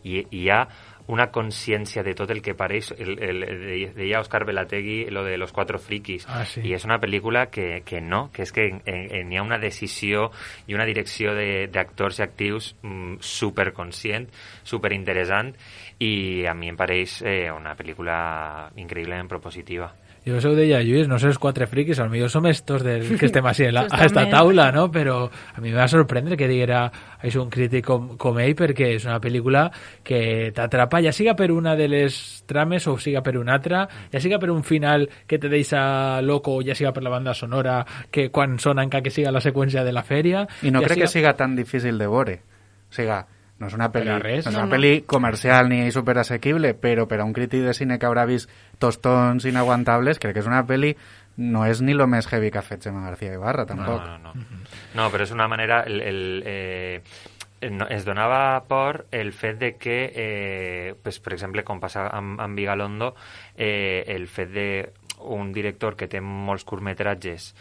i hi ha una consciència de tot el que pareix, el, el, el, deia Òscar Velategui lo de los cuatro frikis, ah, sí. i és una pel·lícula que, que no, que és que n'hi ha una decisió i una direcció d'actors i actius mm, superconscient, superinteressant, i a mi em pareix eh, una pel·lícula increïblement propositiva. Jo us ho deia, Lluís, no sé els quatre friquis, potser som estos del que estem així a esta taula, no? Però a mi em va sorprendre que diguera és un crític com, com ell, perquè és una pel·lícula que t'atrapa, ja siga per una de les trames o siga per una altra, ja siga per un final que te deixa loco, ja siga per la banda sonora, que quan sona encara que siga la seqüència de la fèria... I no ja crec siga... que siga tan difícil de veure. O sigui, no és una pel·li, no és una no, no. pel·li comercial ni superassequible, però per a un crític de cine que haurà vist tostons inaguantables, crec que és una pel·li, no és ni lo més heavy que ha fet Chema García Ibarra, tampoc. No, no, no. No, però és una manera... El, el, eh, no, es donava por el fet de que, eh, pues, per exemple, com passa amb, amb Vigalondo, eh, el fet de un director que té molts curtmetratges,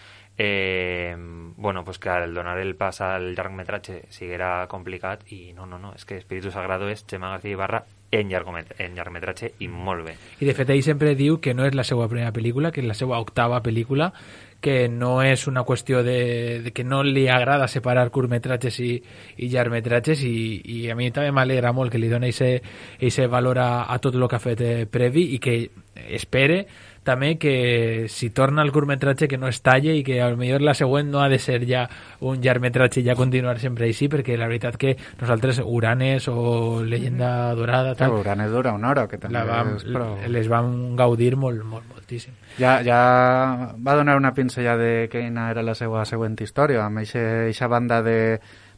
Eh, bueno, pues que al donar el pas al llargmetratge siguera complicat, i no, no, no, és que Espíritu Sagrado és Chema García Ibarra en, en llargmetratge i molt bé. I de fet ell sempre diu que no és la seva primera pel·lícula, que és la seva octava pel·lícula, que no és una qüestió de, de que no li agrada separar curtmetratges i, i llargmetratges, i, i a mi també m'alegra molt que li doni aquest valor a, a tot el que ha fet eh, previ, i que espere també que si torna al curtmetratge que no es talle, i que a lo millor la següent no ha de ser ja un llargmetratge i ja continuar sempre així, perquè la veritat que nosaltres Uranes o Leyenda Dorada tal, sí, Uranes dura una hora, que també la vam, és, però... les vam gaudir molt, molt, moltíssim. Ja, ja va donar una pinzella de quina era la seva següent història, amb eixa banda de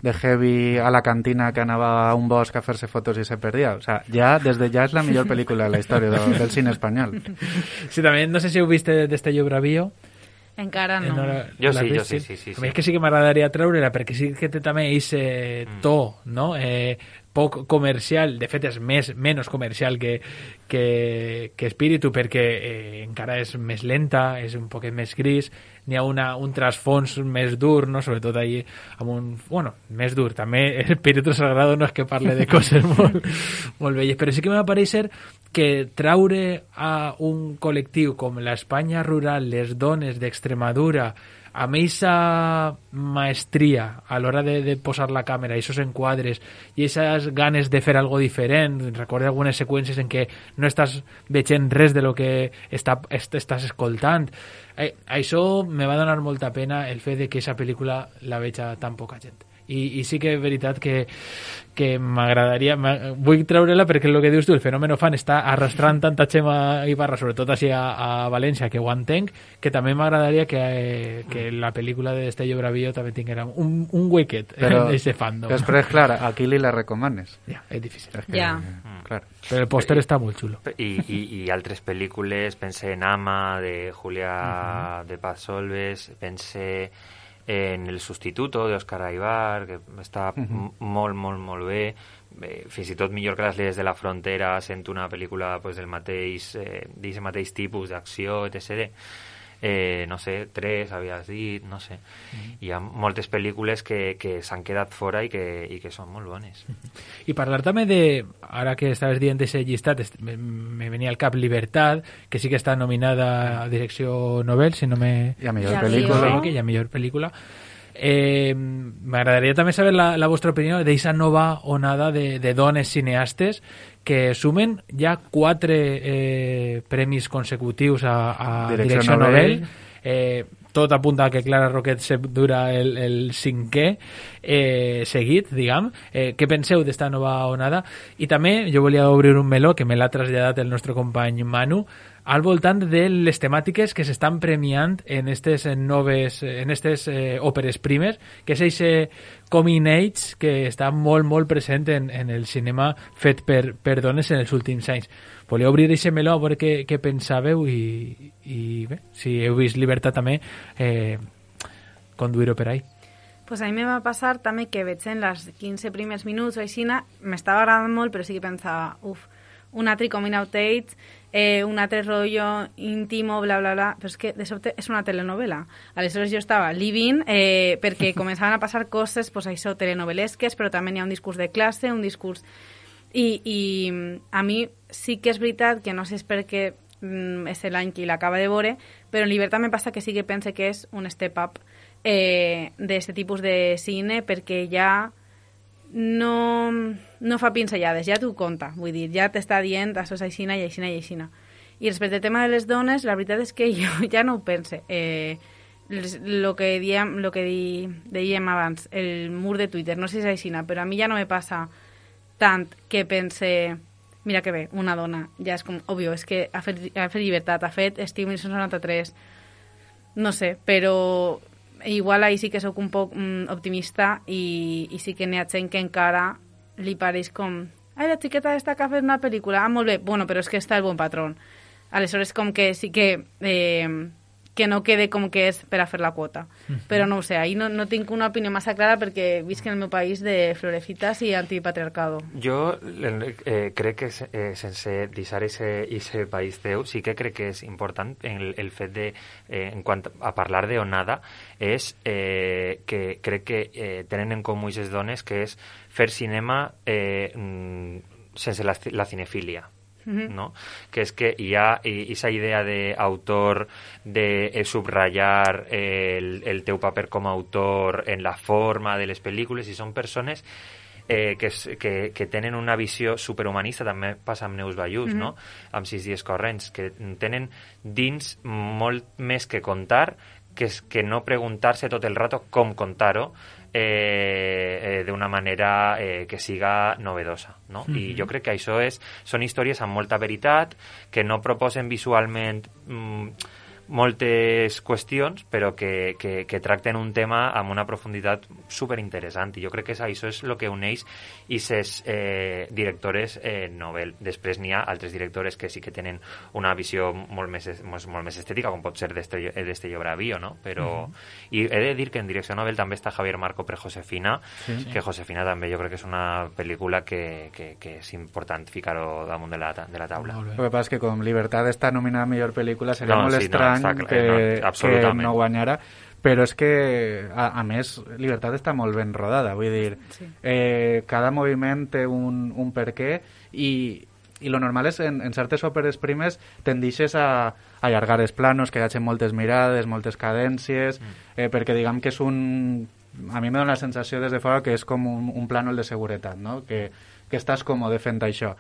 de heavy a la cantina que anava a un bosc a fer-se fotos i se perdia. O sea, ja, des de ja és la millor pel·lícula de la història del, del cine espanyol. Sí, també, no sé si heu vist Destello Bravío. Encara no. no la, jo la sí, vist, jo sí, sí, sí, sí. A mi és que sí que m'agradaria treure-la, perquè sí que té també aquest to, no? Eh, poc comercial, de fet és més, menys comercial que, que, que Espíritu, perquè eh, encara és més lenta, és un poquet més gris, n'hi ha una, un trasfons més dur, no? Sobretot ahí amb un... Bueno, més dur, també Espíritu Sagrado no és que parle de coses molt, molt belles, però sí que m'ha pareixer que traure a un col·lectiu com l'Espanya rural, les dones d'Extremadura, amb aquesta maestria a l'hora de, de posar la càmera, aquests enquadres i aquestes ganes de fer algo diferent. Recordo algunes seqüències en què no estàs veient res de lo que està, est, estàs escoltant. Eh, això me va donar molta pena, el fet de que aquesta pel·lícula la veig a tan poca gent. I, i sí que és veritat que, que m'agradaria, vull treure-la perquè el que dius tu, el fenomen fan està arrastrant tanta Chema Ibarra, sobretot així a, a València, que ho entenc, que també m'agradaria que, eh, que la pel·lícula de Destello Bravío també tinguera un, un huequet d'aquest fandom. Després, clar, a qui li la recomanes? Ja, és difícil. És que, ja. Clar. Però el pòster està molt xulo. I, i, i altres pel·lícules, pense en Ama, de Julia uh-huh. de Paz Solves, pense en El Sustituto, d'Òscar Aybar, que està uh-huh. molt, molt, molt bé. Bé, fins i tot millor que Les Leyes de la Frontera, sent una pel·lícula pues, del mateix, eh, d'aquest mateix tipus d'acció, etcètera. Eh, no sé, tres, havies dit, no sé. Mm-hmm. Hi ha moltes pel·lícules que, que s'han quedat fora i que, i que són molt bones. Mm-hmm. I parlar també de, ara que estaves dient d'aquest llistat, me, me venia al cap Libertad, que sí que està nominada a direcció Nobel, si no me... I a millor ja pel·lícula. I a millor pel·lícula. Eh, m'agradaria també saber la, la vostra opinió d'eixa nova onada de, de dones cineastes que sumen ja quatre eh, premis consecutius a, a Direcció Direcció Nobel. Nobel. Eh, tot apunta que Clara Roquet se dura el, el cinquè eh, seguit, diguem. Eh, què penseu d'esta nova onada? I també jo volia obrir un meló que me l'ha traslladat el nostre company Manu al voltant de les temàtiques que s'estan premiant en aquestes noves, en aquestes eh, òperes primes, que és aquest coming age que està molt, molt present en, en el cinema fet per, per dones en els últims anys. Volia obrir aquest meló a veure què, què pensàveu i, i bé, si heu vist Libertad també, eh, conduir-ho per ahí. Pues a mi me va passar també que veig en les quinze primers minuts o així, m'estava agradant molt, però sí que pensava, uf, un altre coming out age, eh, un altre rotllo íntimo, bla, bla, bla, però és que de sobte és una telenovela. Aleshores jo estava living eh, perquè començaven a passar coses, pues això, telenovelesques, però també hi ha un discurs de classe, un discurs... I, i a mi sí que és veritat que no sé si és perquè mm, és l'any que l'acaba de veure, però en Libertad me passa que sí que pense que és un step up eh, d'aquest tipus de cine, perquè ja no, no fa pinzellades, ja t'ho conta, vull dir, ja t'està dient això és aixina i aixina i aixina. I respecte al tema de les dones, la veritat és que jo ja no ho pense. Eh, lo que diem, lo que di, dèiem abans, el mur de Twitter, no sé si és aixina, però a mi ja no me passa tant que pense, mira que bé, una dona, ja és com, òbvio, és que ha fet, ha fet Llibertat, ha fet Estiu mil nou-cents noranta-tres, no sé, però igual ahí sí que sóc un poc mm, optimista i, i sí que n'hi ha gent que encara li pareix com, ai, la xiqueta està que ha fet una pel·lícula, ah, molt bé, bueno, però és que està el bon patrón. Aleshores com que sí que... Eh, que no quede com que és per a fer la quota. Uh-huh. Però no ho sé, ahí no, no tinc una opinió massa clara perquè visc en el meu país de florecitas i antipatriarcado. Jo eh, crec que eh, sense deixar ese país teu, sí que crec que és important el, el fet de, eh, en quant a parlar de onada, és eh, que crec que eh, tenen en comú aquestes dones que és fer cinema eh, sense la, la cinefília. ¿no? Que es que ya esa idea de autor, de eh, subrayar el, el teu paper com a autor en la forma de les pel·lícules, i són persones eh, que, que, que tenen una visió superhumanista, també passa amb Neus Ballús, mm-hmm. no? Amb Sis dies corrents, que tenen dins molt més que contar, que és que no preguntar-se tot el rato com contar-ho, Eh, eh, d'una manera eh, que siga novedosa, no? Mm-hmm. I jo crec que això és, són històries amb molta veritat, que no proposen visualment mm, moltes qüestions, però que, que, que tracten un tema amb una profunditat superinteressant, i jo crec que això és el que uneix aquestes eh, directores eh, Nobel. Després n'hi ha altres directores que sí que tenen una visió molt més, molt, molt més estètica, com pot ser d'Estello Bravío, no? Però, mm-hmm. i he de dir que en direcció Nobel també està Javier Marco per Josefina, sí, sí. que Josefina també jo crec que és una pel·lícula que, que, que és important ficar-ho damunt de la, de la taula. El que passa és que com Libertad està nominada a millor pel·lícula seria no, molt sí, estrany no, clar, que, no, que no guanyara, però és que a, a més Libertad està molt ben rodada, vull dir sí. eh, cada moviment té un, un per què, i, i lo normal és en, en certes òperes primes tendixes a, a allargar els planos, que hi hagi moltes mirades, moltes cadències, mm. eh, perquè diguem que és un... a mi me dona la sensació des de fora que és com un, un plànol de seguretat, no? que, que estàs còmode fent això,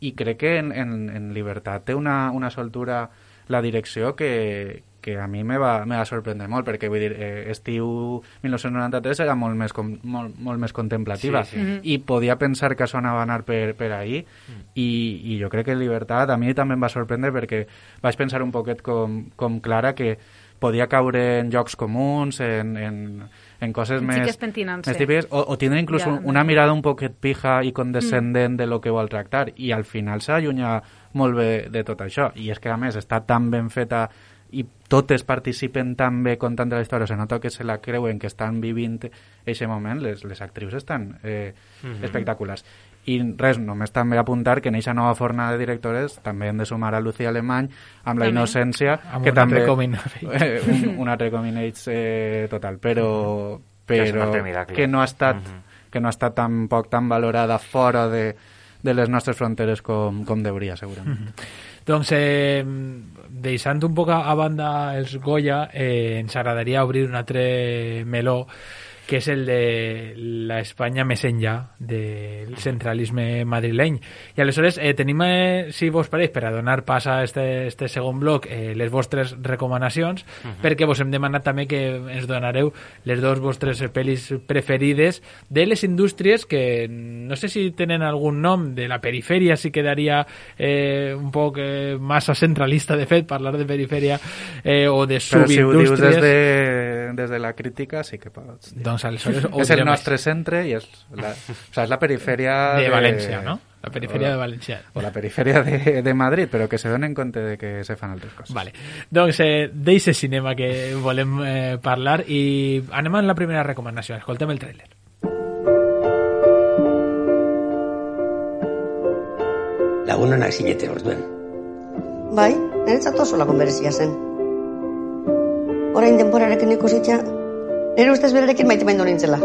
i crec que en, en, en Libertad té una, una soltura la direcció que, que a mi me va, me va sorprendre molt, perquè vull dir, eh, Estiu mil nou-cents noranta-tres era molt més, com, molt, molt més contemplativa, sí, sí. Mm-hmm. i podia pensar que això anava a anar per, per ahí, mm. i, i jo crec que Libertad a mi també em va sorprendre, perquè vaig pensar un poquet com, com Clara, que podia caure en jocs comuns, en, en, en coses en més, més típiques, o, o tindre inclús ja, un, una mirada un poquet pija i condescendent mm. de lo que vol tractar, i al final s'allunya molt bé de tot això, i és que a més està tan ben feta i totes participen tan bé contant de la història, se nota que se la creuen, que estan vivint aquest moment, les, les actrius estan eh, mm-hmm. espectaculars. I res, només també apuntar que en aquesta nova fornada de directores també hem de sumar a Lucía Alemany amb La innocència, amb que un també eh, un, un altre coming age eh, total, però, però que, que no ha estat mm-hmm. que no ha estat tampoc tan valorada fora de, de les nostres fronteres com, com deuria, segurament. Mm-hmm. Doncs, eh, deixant un poc a banda els Goya, eh, ens agradaria obrir un altre meló que és el de la Espanya més enllà del centralisme madrileny. I aleshores eh, tenim, eh, si vos pareix, per a donar pas a este, este segon bloc, eh, les vostres recomanacions, uh-huh. perquè vos hem demanat també que ens donareu les dues vostres pel·lis preferides de les indústries que no sé si tenen algun nom, de la perifèria si quedaria eh, un poc eh, massa centralista, de fet, parlar de perifèria eh, o de subindústries. Però si ho dius des de, des de la crítica sí que pots dir. Doncs aleshores és el nostre centre i és la, o sea, és la perifèria de, de València, no? La perifèria de València. O la perifèria de, de Madrid, però que se donen compte de que se fan altres coses. Vale. Doncs eh, d'eixe cinema que volem eh, parlar i anem amb la primera recomanació. Escoltem el tràiler. Lagunonak zineten orduen. Bai, niretzat oso lagun berezia zen. Orain denborarekin ikusitza, nire ustez berarekin maite maindu nintzela.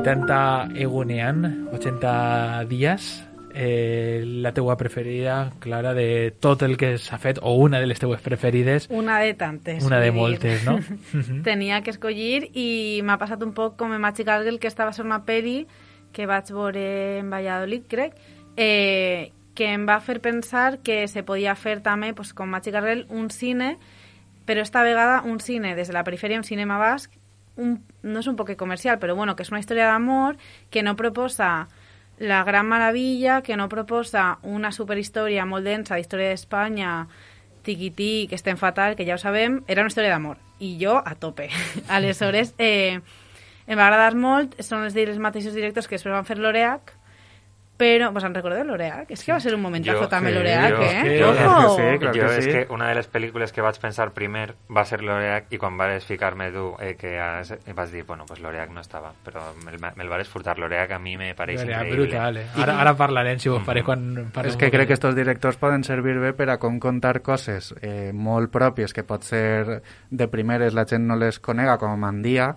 vuitanta egunean, ochenta dies, eh, la teua preferida, Clara, de tot el que s'ha fet, o una de les teues preferides. Una de tantes. Una de moltes, no? Tenia que escollir i m'ha passat un poc com en Magic Girl, que estava a ser una pel·li que vaig veure en Valladolid, crec, eh, que em va fer pensar que se podia fer també, pues, com Magic Girl, un cine, però esta vegada un cine des de la perifèria, un cinema basc, un, no és un poc comercial, però bueno, que és una història d'amor que no proposa la gran maravilla, que no proposa una superhistòria molt densa d'història d'Espanya, tiquití, que estem fatal, que ja ho sabem, era una història d'amor. I jo a tope. Aleshores, eh, em va agradar molt, són els, els mateixos directors que després van fer l'Oreac, però, ¿vos han recordado l'Oreac? És que va ser un momentazo també sí, l'Oreac, jo, eh? Jo, Ojo! sí, clar jo que és sí. que una de les pel·lícules que vaig pensar primer va ser l'Oreac i quan vas ficar-me tu eh, que has, vas dir, bueno, pues l'Oreac no estava, però me'l me vas furtar. L'Oreac a mi me pareix L'Oreac, increïble. brutal, eh? Ara, ara parlarem, si vos pareix, quan parlem. És que crec que estos directors poden servir bé per a com contar coses eh, molt pròpies, que pot ser de primeres la gent no les conega, com Mandia,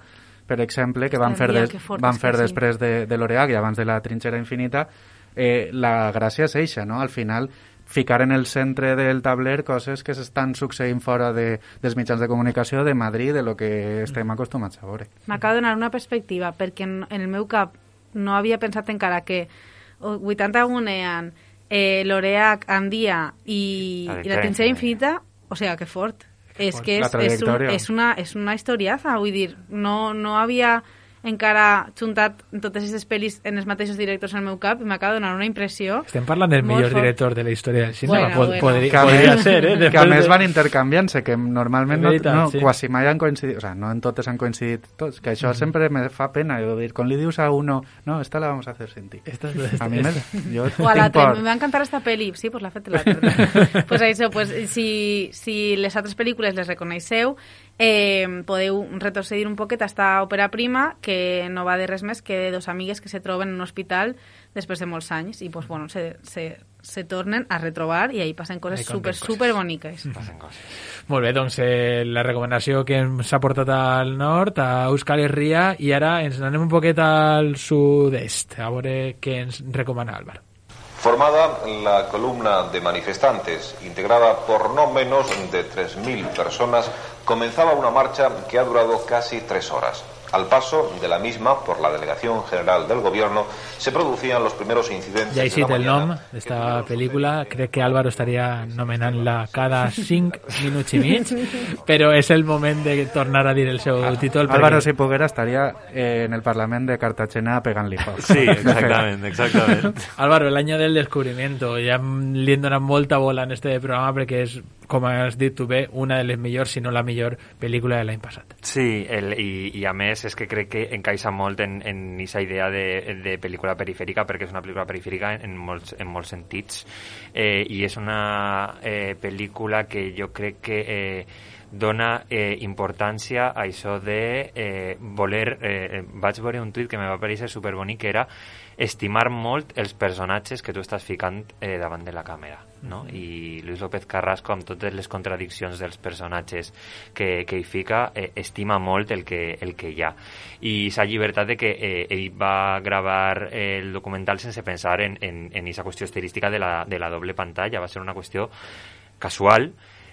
per exemple, que van fer, des, van fer després de, de l'Oreac i abans de la Trinxera Infinita. Eh, la gràcia és eixa, no? Al final, ficar en el centre del tabler coses que s'estan succeint fora de, dels mitjans de comunicació de Madrid, de lo que estem acostumats a veure. M'acaba de donar una perspectiva, perquè en, en el meu cap no havia pensat encara que vuitanta gunean eh, l'Oreac, Andia i, i la Trinxera Infinita, o sigui, que fort. Que és que és, és, un, és, una, és una historiaza, vull dir, no, no havia encara juntat totes aquestes pel·lis en els mateixos directors al meu cap i m'acaba de donar una impressió. Estem parlant del millor fort. Director de la història del cinema. Bueno, Pod bueno. Podria, que podria més, ser, eh? Després que a més de... van intercanviant-se, que normalment no, veritat, no, sí. quasi mai han coincidit, o sea, no en totes han coincidit tots, que això mm. sempre me fa pena, jo dir, quan li dius a uno, no, esta la vamos a hacer sin ti. Esta, esta, a mi me, jo o a l'altre, por... me va encantar esta pel·li, sí, pues l'ha fet l'altre. Pues això, pues, si, si les altres pel·lícules les reconeixeu, eh, podeu retrocedir un poquet a esta òpera prima, que no va de res més que de dos amigues que se troben en un hospital després de molts anys i pues, bueno, se, se, se tornen a retrobar i ahí passen coses super, coses. super boniques. Passen coses. Molt bé, doncs eh, la recomanació que ens ha portat al nord, a Euskal Herria, i ara ens anem un poquet al sud-est, a veure què ens recomana Álvaro. Formada la columna de manifestantes, integrada por no menos de tres mil personas, comenzaba una marcha que ha durado casi tres horas. Al paso de la misma por la Delegación General del Gobierno se producían los primeros incidentes. Ja he cit el nom d'esta pel·lícula, crec que Álvaro estaria nomenant-la cada cinc minuts i mig, però és el moment de tornar a dir el seu ah, títol. Álvaro, perquè... si poguera, estaria eh, en el Parlament de Cartagena pegant-li foc. Sí, exactament, exactament. Álvaro, el año del descubrimiento, ja li hem donat molta bola en este programa perquè és, com has dit tu bé, una de les millors, si no la millor pel·lícula de l'any passat. Sí, el, i, i a més és que crec que encaixa molt en aquesta idea de, de pel·lícula perifèrica, perquè és una pel·lícula perifèrica en molts, en molts sentits, eh, i és una eh, pel·lícula que jo crec que eh, dona eh, importància a això de eh, voler... Eh, vaig veure un tuit que me va parèixer superbonic, que era estimar molt els personatges que tu estàs ficant eh, davant de la càmera, no? Mm-hmm. I Luis López Carrasco, amb totes les contradiccions dels personatges que, que hi fica, eh, estima molt el que, el que hi ha. I s'ha llibertat de que eh, ell va gravar el documental sense pensar en, en, en aquesta qüestió estilística de la, de la doble pantalla. Va ser una qüestió casual,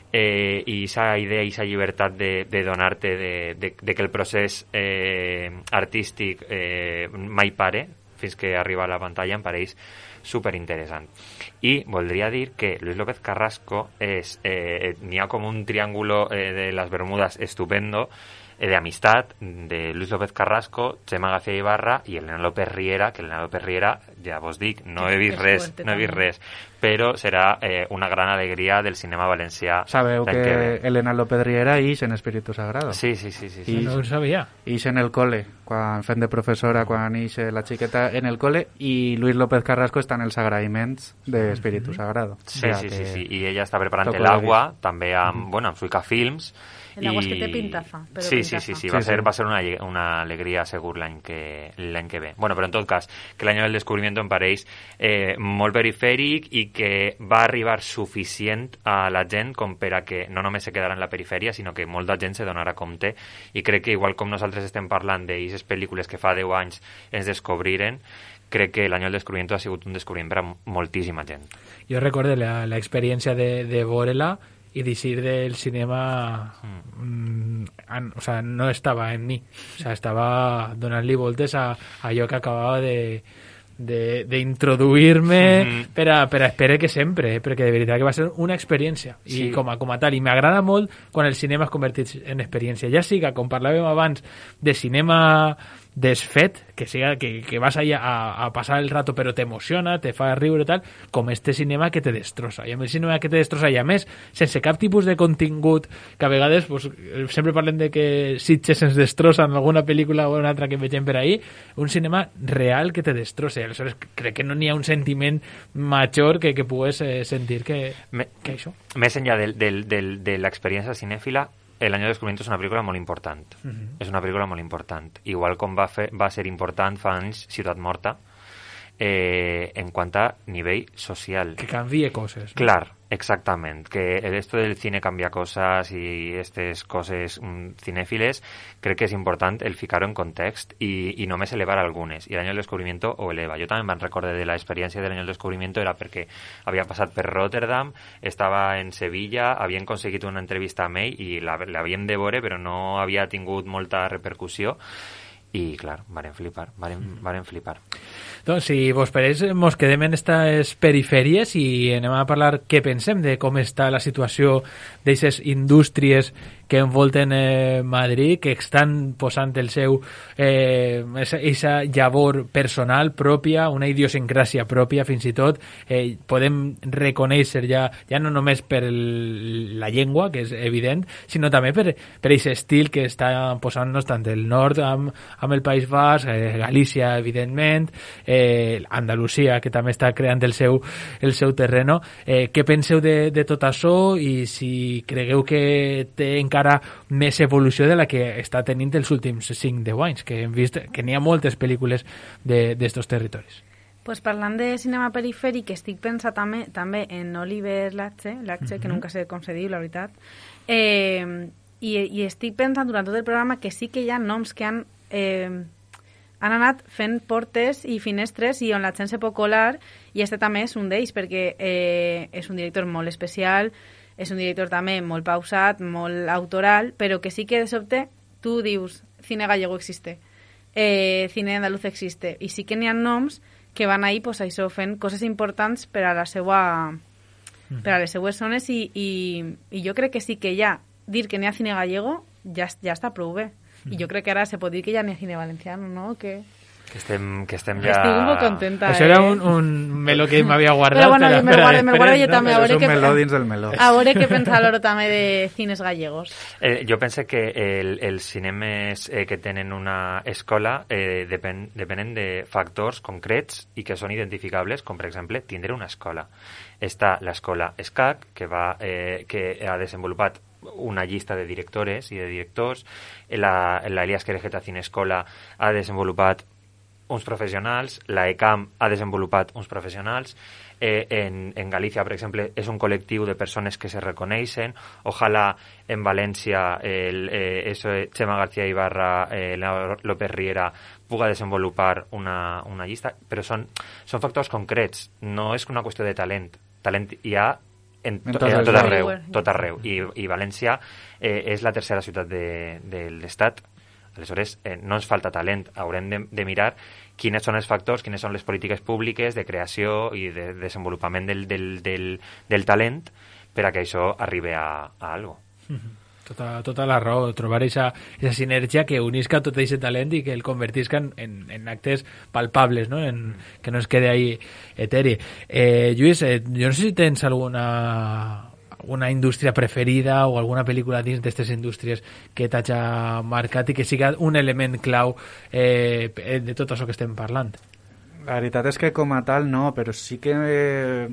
eh, i aquesta idea i aquesta llibertat de, de donar-te de, de, de que el procés eh, artístic eh, mai pare fins que arriba a la pantalla em pareix superinteressant. I voldria dir que Luis López Carrasco és, eh, n'hi ha com un triángulo eh, de las Bermudas estupendo, eh, de amistad, de Luis López Carrasco, Chema García Ibarra i Elena López Riera, que Elena López Riera, ja vos dic, no he vist res, no he vist res, però serà eh, una gran alegria del cinema valencià. Sabeu que, que Elena López Riera ix en Espíritu Sagrado. Sí, sí, sí, sí, sí. No ho sabia. Ix en el cole, quan fent de professora, quan ix la xiqueta en el cole, i Luis López Carrasco està en els agraïments de Espíritu Sagrado. Sí, o sea, sí, que... sí, sí, i ella està preparant Toco l'Agua, també amb, mm-hmm. bueno, amb Suica Films. El agua es que té pintaza. Però sí, pintaza. sí, sí, sí, va, sí, ser, sí. va ser una, una alegria segur l'any que, l'any que ve. Bueno, però en tot cas, que l'any del descobriment em pareix eh, molt perifèric i que va arribar suficient a la gent com per a que no només se quedara en la perifèria, sinó que molta gent se donarà compte, i crec que igual com nosaltres estem parlant d'aquestes pel·lícules que fa deu anys ens descobriren, crec que l'any del descobriment ha sigut un descobriment per a moltíssima gent. Jo recordo l'experiència de, de veure-la i d'eixir del cinema mm, an, o sea, no estava en mi, o sea, estava donant-li voltes a, a allò que acabava de d'introduir-me mm-hmm. per, a, per a esperar que sempre, eh? Perquè de veritat que va ser una experiència i sí. com, a, com a tal, i m'agrada molt quan el cinema es converteix en experiència, ja siga, com parlàvem abans, de cinema desfet, que siga que, que vas allà a, a passar el rato però t'emociona, te fa riure i tal, com este cinema que te destrossa. I amb el cinema que te destrossa, i a més, sense cap tipus de contingut, que a vegades pues, sempre parlem de que Sitges ens destrossa en alguna pel·lícula o una altra que vegem per ahí, un cinema real que te destrossa. Aleshores, crec que no n'hi ha un sentiment major que, que pugues eh, sentir que, Me, que això. Més enllà del, del, del, de l'experiència cinèfila, El año del descubrimiento és una pel·lícula molt important. Uh-huh. És una pel·lícula molt important. Igual com va, fer, va ser important fa anys Ciutat Morta, eh, en quant a nivell social. Que canvie coses. No? Clar, exactament. Que esto del cine canvia cosas i aquestes coses mm, cinèfiles, crec que és important el ficar-ho en context i, i només elevar algunes. I l'any del descubrimiento ho eleva. Jo també me'n recordo de l'experiència de l'any del descubrimiento, era perquè havia passat per Rotterdam, estava en Sevilla, havien aconseguit una entrevista amb ell i l'havíem de veure, però no havia tingut molta repercussió. I, clar, varen flipar, varen, varen flipar. Doncs, si vos pareix, mos quedem en aquestes perifèries i anem a parlar què pensem de com està la situació d'aquestes indústries que envolten eh, Madrid, que estan posant el seu eh, esa, esa llavor personal pròpia, una idiosincràsia pròpia, fins i tot eh, podem reconèixer ja, ja no només per el, la llengua, que és evident, sinó també per, per aquest estil que està posant-nos tant el nord amb, amb el País Basc, eh, Galícia, evidentment, eh, Andalusia, que també està creant el seu, el seu terreno. Eh, què penseu de, de tot això i si cregueu que té encara més evolució de la que està tenint els últims cinc deu anys, que hem vist que n'hi ha moltes pel·lícules d'estos territoris. Pues parlant de cinema perifèric, estic pensant també, també en Oliver Lache, Lache, uh-huh. que nunca sé com se diu, la veritat, eh, i, i estic pensant durant tot el programa que sí que hi ha noms que han eh, han anat fent portes i finestres i on la gent se pot colar, i este també és un d'ells, perquè eh, és un director molt especial, és un director també molt pausat, molt autoral, però que sí que de sobte tu dius cine gallego existe, eh, cine andaluz existe, i sí que n'hi ha noms que van ahí pues, això, fent coses importants per a la seua, mm. per a les seues zones, i, i, i jo crec que sí que ja dir que n'hi ha cine gallego ja, ja està prou bé. I jo crec que ara se pot dir que ja n'hi ha cine valenciano, no? Que... Que estem, que estem ja... Estic molt contenta, Això eh? era un, un meló que m'havia guardat. Però bueno, me guardo, me guardo jo no? també. A veure és un que, meló dins del meló. A veure què pensa l'Oro també de cines gallegos. Eh, jo penso que el, els cinemes eh, que tenen una escola eh, depen, depenen de factors concrets i que són identificables, com per exemple tindre una escola. Està l'escola ESCAC, que, va, eh, que ha desenvolupat una llista de directores i de directors. La, la Elias Querejeta Cinescola ha desenvolupat uns professionals, la ECAM ha desenvolupat uns professionals, eh, en, en Galícia, per exemple, és un col·lectiu de persones que se reconeixen. Ojalà en València el, eh, eso, Chema García Ibarra, eh, López Riera puga desenvolupar una, una llista, però són, són factors concrets, no és una qüestió de talent. Talent hi ha en, to, en tot arreu, tot arreu. I, i València eh, és la tercera ciutat de, de l'estat. Aleshores, eh, no ens falta talent. Haurem de, de mirar quines són els factors, quines són les polítiques públiques de creació i de desenvolupament del, del, del, del talent per a que això arribi a, a algo. Tota, tota la raó, trobar esa, esa sinergia que unisca tot aquest talent i que el convertisca en, en, en actes palpables, ¿no? En, que no es quede ahí eteri. Eh, Lluís, eh, jo no sé si tens alguna... una indústria preferida o alguna pel·lícula dins d'aquestes indústries que t'hagi marcat i que siga un element clau eh, de tot això que estem parlant. La veritat és que com a tal no, però sí que eh,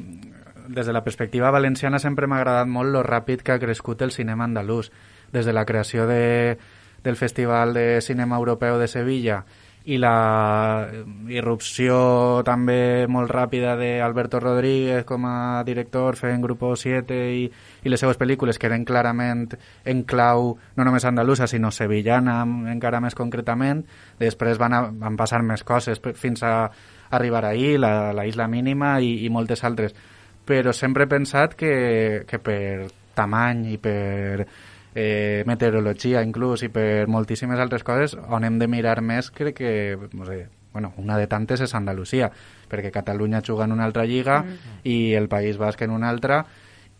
des de la perspectiva valenciana sempre m'ha agradat molt lo ràpid que ha crescut el cinema andalús. Des de la creació de, del Festival de Cinema Europeu de Sevilla i la irrupció també molt ràpida d'Alberto Rodríguez com a director fent Grupo siete i, i les seues pel·lícules que eren clarament en clau no només andalusa sinó sevillana encara més concretament. Després van, a, van passar més coses fins a arribar ahir, la, la Isla Mínima i, i moltes altres, però sempre he pensat que, que per tamany i per Eh, meteorologia inclús i per moltíssimes altres coses on hem de mirar més crec que no sé, bueno, una de tantes és Andalusia, perquè Catalunya juga en una altra lliga mm. i el País Basc en una altra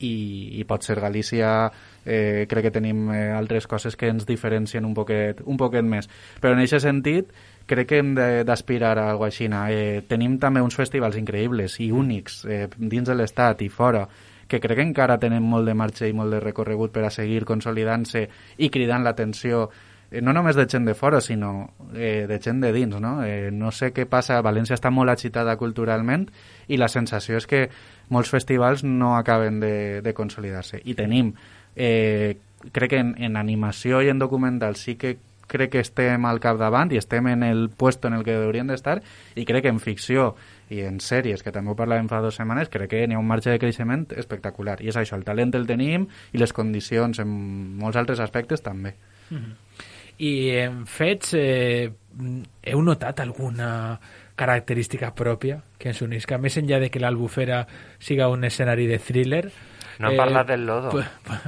i, i pot ser Galícia, eh, crec que tenim eh, altres coses que ens diferencien un poquet, un poquet més, però en aquest sentit crec que hem d'aspirar a alguna cosa així. Eh, tenim també uns festivals increïbles i únics eh, dins de l'estat i fora que crec que encara tenen molt de marxa i molt de recorregut per a seguir consolidant-se i cridant l'atenció, eh, no només de gent de fora, sinó eh, de gent de dins, no? Eh, no sé què passa, València està molt agitada culturalment i la sensació és que molts festivals no acaben de, de consolidar-se. I tenim, eh, crec que en, en animació i en documental sí que crec que estem al capdavant i estem en el puesto en el que hauríem d'estar, i crec que en ficció i en sèries, que també ho parlàvem fa dues setmanes, crec que n'hi ha un marge de creixement espectacular. I és això, el talent el tenim i les condicions en molts altres aspectes també. Mm-hmm. I en fets, eh, heu notat alguna característica pròpia que ens unisca, més enllà de que l'Albufera siga un escenari de thriller? No hem eh, parlat del lodo. Pues, pues,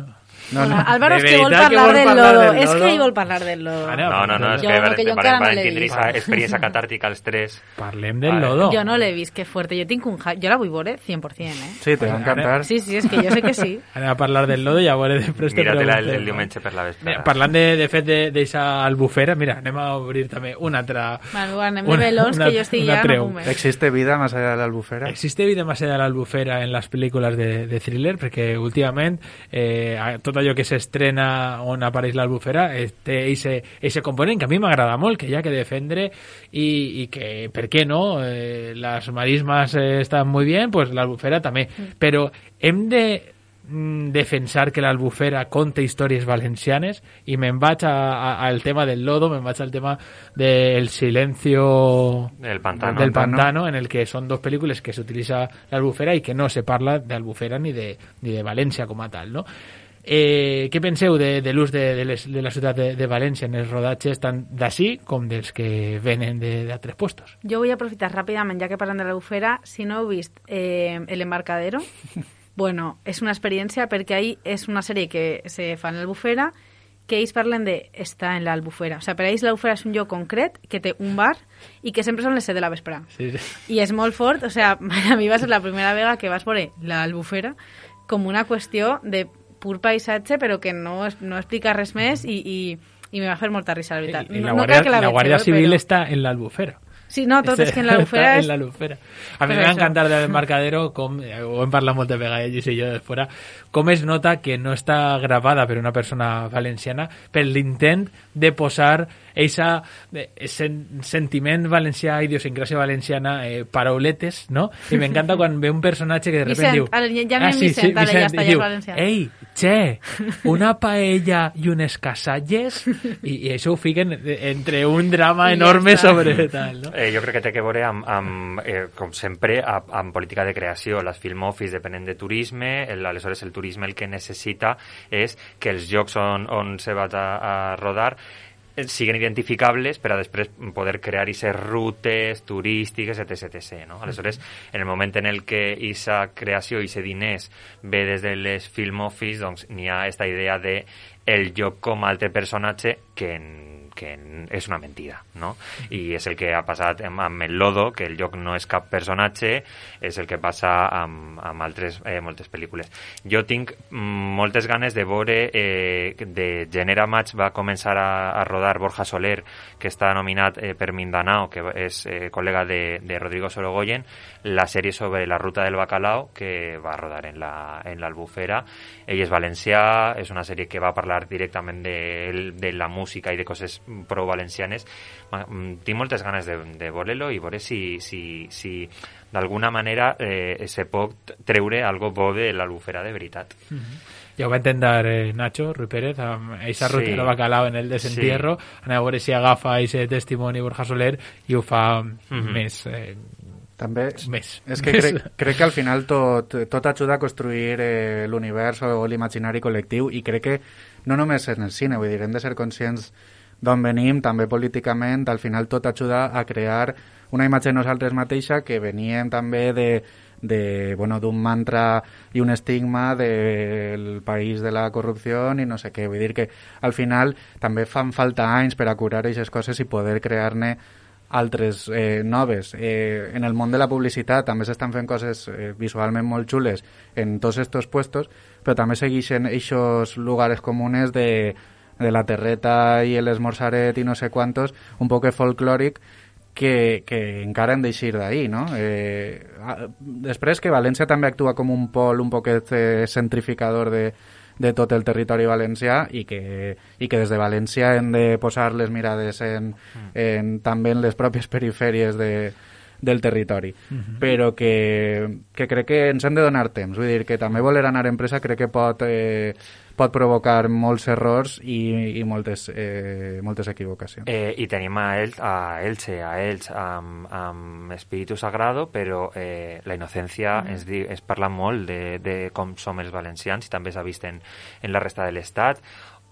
No, no. Álvaro es que vol parlar, que vol del, parlar lodo. del lodo. És que ell vol parlar del lodo. Ah, no, no, no, és jo, que, no, que jo encara no l'he vist. Tindre experiència catàrtica als tres. Parlem del lodo. Jo no l'he vist, que fuerte. Jo tinc un hype. Jo la vull veure cent per cent, eh? Sí, te va encantar. Sí, sí, és que jo sé que sí. Anem a parlar del lodo i a veure després te Míratela pregunto. el, el diumenge per la vesprada. Parlant de, de fet d'eixa albufera, mira, anem a obrir també una altra... Bueno, anem de melons, que jo estic ja no puc més. ¿Existe vida más allá de la albufera? Existe vida más allá de la albufera en las películas de, de thriller, perquè últimament eh, tot allò que s'estrena on apareix l'Albufera eh, té eixe component que a mi m'agrada molt, que hi ha que defendre i, i que, per què no, eh, les marismes eh, estan molt bé, pues l'Albufera també, mm. però hem de mm, defensar que l'Albufera conta històries valencianes i me'n vaig al tema del lodo, me'n vaig al tema del silencio del pantano, del pantano, en el que són dos pel·lícules que s'utilitza l'Albufera i que no se parla d'Albufera ni de, ni de València com a tal, no? Eh, què penseu de, de l'ús de, de, les, de la ciutat de, de València en els rodatges tant d'ací com dels que venen d'altres puestos? Jo vull aprofitar ràpidament, ja que parlem de l'Albufera, si no heu vist eh, El Embarcadero, bueno, és una experiència perquè ahí és una sèrie que se fa en l'Albufera, que ells parlen de estar en l'Albufera. O sigui, per a ells l'Albufera és un lloc concret que té un bar i que sempre són les set de la vespre. Sí, sí. I és molt fort, o sigui, a mi va ser la primera vegada que vas veure l'Albufera com una qüestió de pur paisatge, però que no, no explica res més i, i, i me va fer molta risa, la veritat. I, i la, no, Guàrdia, no la, la Guàrdia Civil però... està en l'Albufera. Sí, no, tot és que en l'Albufera és... En l'Albufera. A mi m'ha encantat del Embarcadero, com, ho hem parlat moltes vegades, Lluís i jo de fora, com es nota que no està gravada per una persona valenciana per l'intent de posar esa eh, sen, sentiment valencià, idiosincrasia valenciana, eh, parauletes, no? I m'encanta quan ve un personatge que de repente diu... Vicent, ja anem Vicent, ara ja està, ja és valencià. Ei, che, una paella i unes casalles, i, i això ho fiquen entre un drama enorme sobre tal, no? Eh, jo crec que té que veure amb, amb eh, com sempre, amb, amb política de creació. Les Film Office depenen de turisme, el, aleshores el turisme el que necessita és que els llocs on, on se va a, a rodar siguen identificables per a després poder crear aquestes rutes turístiques, etc, etcètera. No? Aleshores, en el moment en el que aquesta creació i aquests diners ve des de les Film Office, doncs n'hi ha aquesta idea de el lloc com a altre personatge que en que és una mentida, no? I és el que ha passat amb, amb el Lodo, que el lloc no és cap personatge, és el que passa amb, amb altres eh, moltes pel·lícules. Jo tinc moltes ganes de veure eh, de Genera Match va començar a, a rodar Borja Soler, que està nominat eh, per Mindanao, que és eh, col·lega de, de Rodrigo Sorogoyen, la sèrie sobre la ruta del bacalao, que va rodar en la, en l'Albufera. Ell és valencià, és una sèrie que va parlar directament de, de la música i de coses prou valencianes. Tinc moltes ganes de, de veure-lo i veure si, si, si d'alguna manera eh, se pot treure algo bo de l'Albufera de veritat. Mm-hmm. Ja ho va intentar eh, Nacho Ruiz Pérez amb aquesta ruta de bacalao en el desentierro. Sí. Anem a veure si agafa aquest testimoni Borja Soler i ho fa mm-hmm. més... Eh, també més. És que crec, crec que al final tot, tot ajuda a construir eh, l'univers o l'imaginari col·lectiu, i crec que no només en el cine, vull dir, hem de ser conscients d'on venim, també políticament, al final tot ajuda a crear una imatge de nosaltres mateixa que veníem també de, de bueno, d'un mantra i un estigma del país de la corrupció i no sé què, vull dir que al final també fan falta anys per a curar aquestes coses i poder crear-ne altres eh, noves. Eh, en el món de la publicitat també s'estan fent coses eh, visualment molt xules en tots estos puestos, però també segueixen aquests lugares comunes de, de la terreta i l'esmorzaret i no sé quantos, un poc folclòric que, que encara hem d'eixir d'ahí, no? Eh, després que València també actua com un pol un poquet eh, centrificador de de tot el territori valencià i que, i que des de València hem de posar les mirades en, en, també en les pròpies perifèries de, del territori. Uh-huh. Però que, que crec que ens hem de donar temps. Vull dir que també voler anar en pressa crec que pot, eh, pot provocar molts errors i, i moltes, eh, moltes equivocacions. Eh, I tenim a, El, a Elche, a Elx, amb, amb Espíritu Sagrado, però eh, la innocència mm. es, es parla molt de, de com som els valencians i també s'ha vist en, en la resta de l'Estat.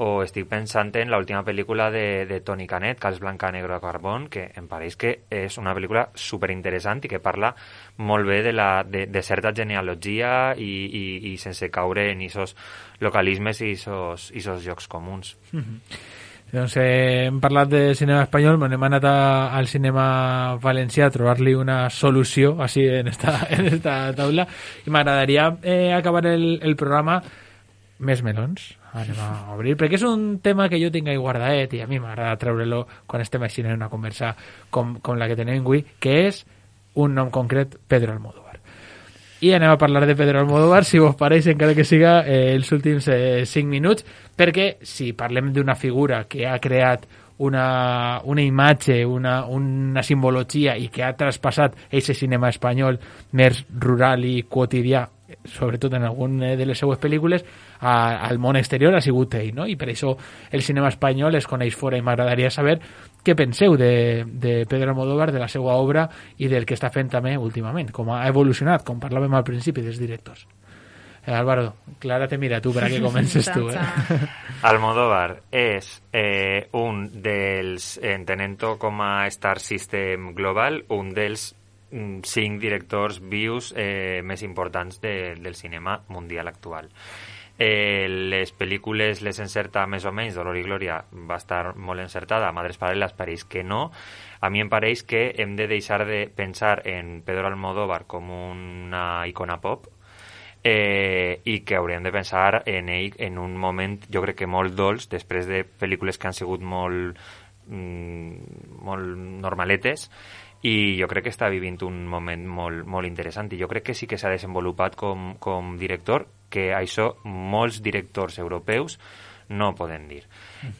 O estic pensant en l'última pel·lícula de, de Toni Canet, Cas Blanca Negro a Carbón, que em pareix que és una pel·lícula superinteressant i que parla molt bé de, la, de, de certa genealogia i, i, i sense caure en aquests localismes i aquests llocs comuns. Mm-hmm. Doncs eh, hem parlat de cinema espanyol, hem anat a, al cinema valencià a trobar-li una solució així en esta, en esta taula, i m'agradaria eh, acabar el, el programa més melons. Anem a obrir, perquè és un tema que jo tinc ahí guardadet i a mi m'agrada treure-lo quan estem així en una conversa com, com la que tenim avui, que és un nom concret, Pedro Almodóvar. I anem a parlar de Pedro Almodóvar, si vos pareix, encara que siga eh, els últims eh, cinc minuts, perquè si parlem d'una figura que ha creat una, una imatge, una, una simbologia i que ha traspassat aquest cinema espanyol més rural i quotidià, sobretot en alguna de les seues pel·lícules, a, al món exterior ha sigut ell, no? I per això el cinema espanyol es coneix fora, i m'agradaria saber què penseu de, de Pedro Almodóvar, de la seva obra i del que està fent també últimament, com ha evolucionat, com parlàvem al principi dels directors. Eh, Álvaro, Clara te mira tu per a que comences tu. Eh? Almodóvar és eh, un dels, entenent-ho com a Star System global, un dels cinc directors vius eh, més importants de, del cinema mundial actual. Eh, les pel·lícules les encerta més o menys, Dolor i Glòria va estar molt encertada, Madres Paral·leles pareix que no. A mi em pareix que hem de deixar de pensar en Pedro Almodóvar com una icona pop eh, i que hauríem de pensar en ell en un moment, jo crec que molt dolç, després de pel·lícules que han sigut molt, mm, molt normaletes, i jo crec que està vivint un moment molt, molt interessant i jo crec que sí que s'ha desenvolupat com, com director, que això molts directors europeus no poden dir.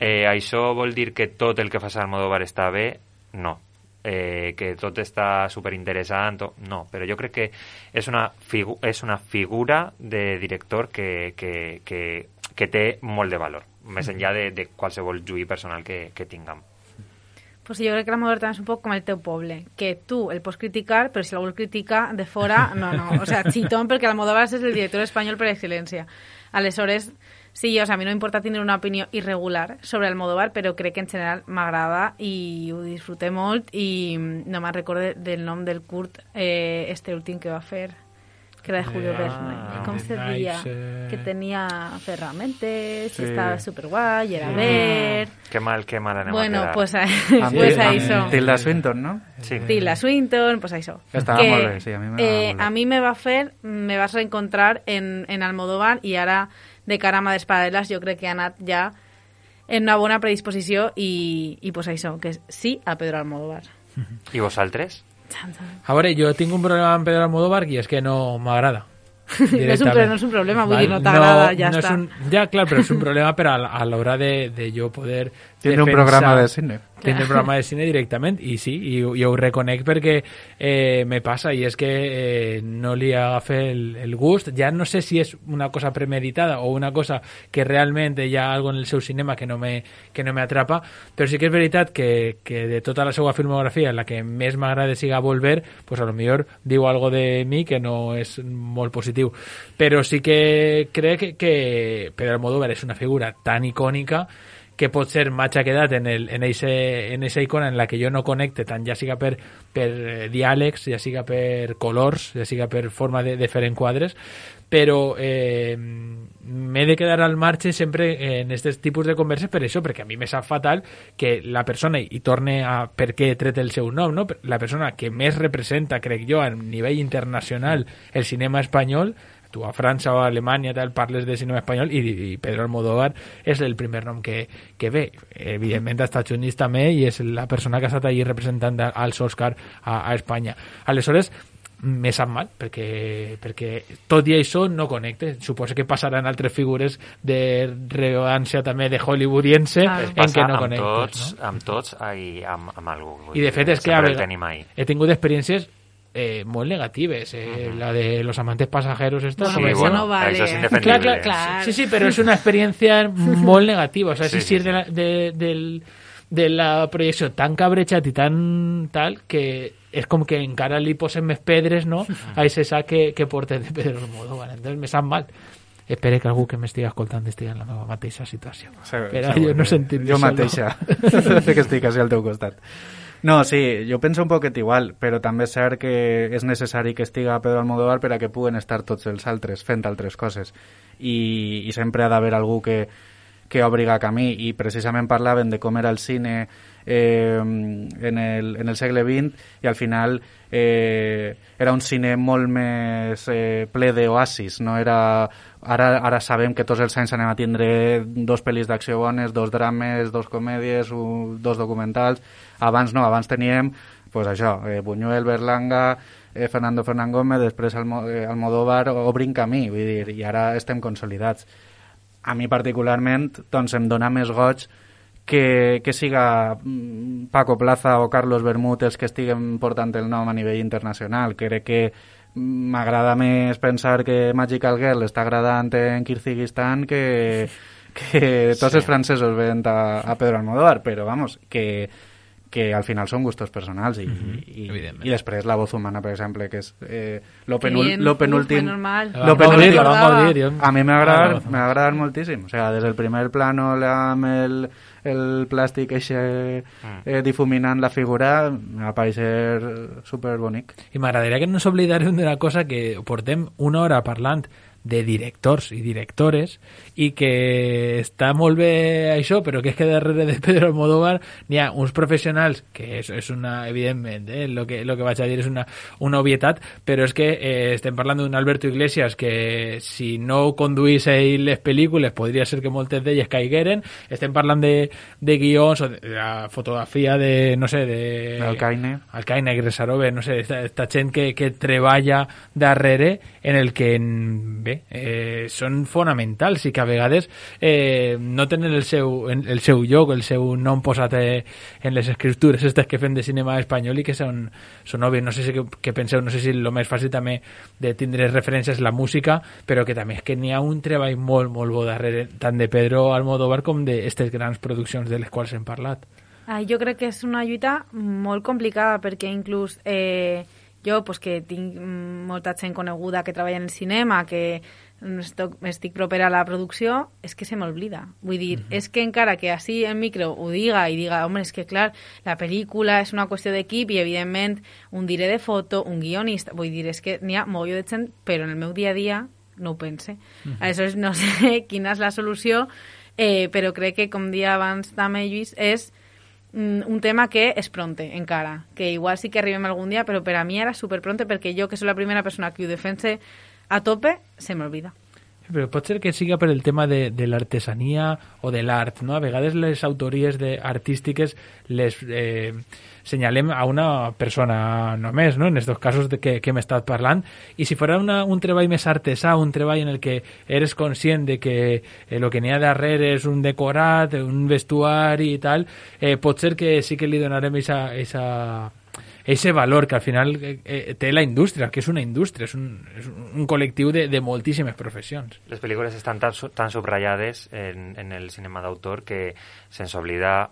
Eh, això vol dir que tot el que fa Almodóvar està bé? No. Eh, que tot està superinteressant? No, però jo crec que és una, figu és una figura de director que, que, que, que té molt de valor, més enllà de, de qualsevol juí personal que, que tinguem. Pues jo crec que l'Almodóvar també és un poc com el teu poble, que tu el pots criticar, però si algú el critica de fora, no, no, o sea, xitón, perquè l'Almodóvar és el director espanyol per excel·lència. Aleshores, sí, o sea, a mi no m'importa tenir una opinió irregular sobre Almodóvar, però crec que en general m'agrada i ho disfruté molt i no me'n recorde del nom del curt eh, este últim que va fer, que era de Julio Ah, Verne. Com se nice, deia? eh. Que tenia ferramentes, Sí. i estava superguai, i era ver... Que mal, que mal anem Bueno, a quedar. pues, Amb pues Til- això. amb Tilda Swinton, no? Sí. Tilda Swinton, pues això. Estava que, molt bé, sí, a mi m'agrada eh, molt bé. a mi me va fer, me vas reencontrar en, en Almodóvar i ara de cara a Mades Paral·leles jo crec que ha anat ja en una bona predisposició i, i pues això, que és sí a Pedro Almodóvar. I vosaltres? A veure, jo tinc un problema amb Pedro Almodóvar i és que no m'agrada. No és, un, pro- no és un problema, vull dir, no t'agrada, ja no està. És un, ja, clar, però és un problema per a, la- a l'hora de, de jo poder Tiene un defensar- programa de cine. Tiene un programa de cine directament i sí, i, i ho reconec perquè eh, me passa i és que eh, no li agafa el, el gust. Ja no sé si és una cosa premeditada o una cosa que realment hi ha algo en el seu cinema que no me, que no me atrapa, però sí que és veritat que, que de tota la seva filmografia la que més m'agrada siga Volver, pues a lo millor diu algo de mi que no és molt positiu, però sí que crec que, que Pedro Almodóvar és una figura tan icònica que pot ser m'ha quedat en, el, en, ese, en esa icona en la que jo no connecte tant, ja siga per, per eh, diàlegs, ja siga per colors, ja siga per forma de, de fer enquadres, però eh, m'he de quedar al marge sempre en aquest tipus de converses per això, perquè a mi me sap fatal que la persona, i torne a per què he tret el seu nom, no? La persona que més representa, crec jo, a nivell internacional el cinema espanyol, tu a França o a Alemanya tal, parles de cinema espanyol i, i Pedro Almodóvar és el primer nom que, que ve. Evidentment als Estats Units també i és la persona que ha estat allí representant als Oscar a, a Espanya. Aleshores, me sap mal, perquè, perquè tot i això no connecte. Suposo que passaran altres figures de rellevància també de hollywoodiense Ah. en què no amb connectes. tots, No? amb tots i amb, amb algú. I de fet és que a sempre el vegades tenim ahí. he tingut experiències eh, molt negatives. Eh, Ujú. La de los amantes pasajeros, esta, Bueno, ¿cómo eso se llama? no vale. Això és Clar, indefendible. clar, clar. Sí, sí, però és una experiència molt negativa. O sea, Sí, sí, sí, sí, sí. de la, de, del, de la projecció tan cabrejat i tan tal que és com que encara li posen més pedres, no?, a ese sac que, que porta de Pedro Almodóvar. Entonces me sap mal. Espero que algú que m'estigui escoltant estigui en la meva mateixa situació. Segur, Però segur. jo no sentir-me Jo solo. mateixa, que estic així al teu costat. No, sí, jo penso un poquet igual, però també és cert que és necessari que estiga Pedro Almodóvar per a que puguen estar tots els altres fent altres coses. I, i sempre ha d'haver algú que, que obriga camí, i precisament parlaven de com era el cine eh, en, el, en el segle vint, i al final eh, era un cine molt més eh, ple d'oasis, no era... Ara, ara sabem que tots els anys anem a tindre dos pel·lis d'acció bones, dos drames, dos comèdies, un, dos documentals. Abans no, abans teníem pues això, eh, Buñuel, Berlanga, eh, Fernando Fernán Gómez, després Almo, eh, Almodóvar obrint camí, vull dir, i ara estem consolidats. A mi particularment doncs em dona més goig que, que siga mm, Paco Plaza o Carlos Bermúdez els que estiguen portant el nom a nivell internacional. Crec que m'agrada més pensar que Magical Girl està agradant en Kirguizistan que, que tots Sí. els francesos veient a, a Pedro Almodóvar, però vamos, que, que al final són gustos personals i, i, Evidentment. i després La voz humana, per exemple, que és eh, lo, penul, Bien, lo uf, penúltim normal. La lo vam gaudir, la penúltim vam gaudir, jo. a mi m'ha Ah, agradat, no. m'ha agradat moltíssim, o sea, des del primer plano amb el, el plàstic eixe eh, difuminant la figura m'ha parecer superbonic. I m'agradaria que no ens oblidarem d'una cosa, que portem una hora parlant de directors i directores i que està molt bé això, però que és que darrere de Pedro Almodóvar n'hi ha uns professionals que és, és una, evidentment, eh, lo, que, lo que vaig a dir és una, una obvietat, però és que eh, estem parlant d'un Alberto Iglesias que si no conduís ell les pel·lícules podria ser que moltes d'elles caigueren. Estem parlant de, de guions o de la fotografia de, no sé, de... Alcaine. Alcaine, Gresarove, no sé, esta, esta gent que, que treballa darrere en el que bé, bé, eh, són fonamentals i que a vegades eh, no tenen el seu, el seu lloc, el seu nom posat eh, en les escriptures aquestes que fem de cinema espanyol i que són, són òbvies. No sé si què, què penseu, no sé si el més fàcil també de tindre referències és la música, però que també és que n'hi ha un treball molt, molt bo darrere, tant de Pedro Almodóvar com d'aquestes grans produccions de les quals hem parlat. Ah, jo crec que és una lluita molt complicada perquè inclús eh, jo, pues, que tinc molta gent coneguda que treballa en el cinema, que estic, estic propera a la producció, és que se m'oblida. Vull dir, mm-hmm. és que encara que així en micro ho diga i diga, home, és que clar, la pel·lícula és una qüestió d'equip i evidentment un diré de foto, un guionista, vull dir, és que n'hi ha mogolló de gent, però en el meu dia a dia no ho pense. Mm-hmm. Aleshores, no sé quina és la solució, eh, però crec que, com dia abans també, Lluís, és un tema que és pronte encara, que igual sí que arribem algun dia, però per a mi era superpronte perquè jo, que soc la primera persona que ho defense a tope, se m'olvida. Però pot ser que siga per el tema de, de l'artesania o de l'art, no? A vegades les autories de, artístiques les eh, senyalem a una persona només, no? En aquests casos de que, que hem estat parlant, i si fos un treball més artesà, un treball en el que eres conscient de que eh, el que n'hi ha darrere és un decorat, un vestuari i tal, eh, pot ser que sí que li donarem esa, esa ese valor que al final eh, té la indústria, que és una indústria, és un, és un col·lectiu de, de moltíssimes professions. Les pel·lícules estan tan, tan subratllades en, en el cinema d'autor que se'ns oblida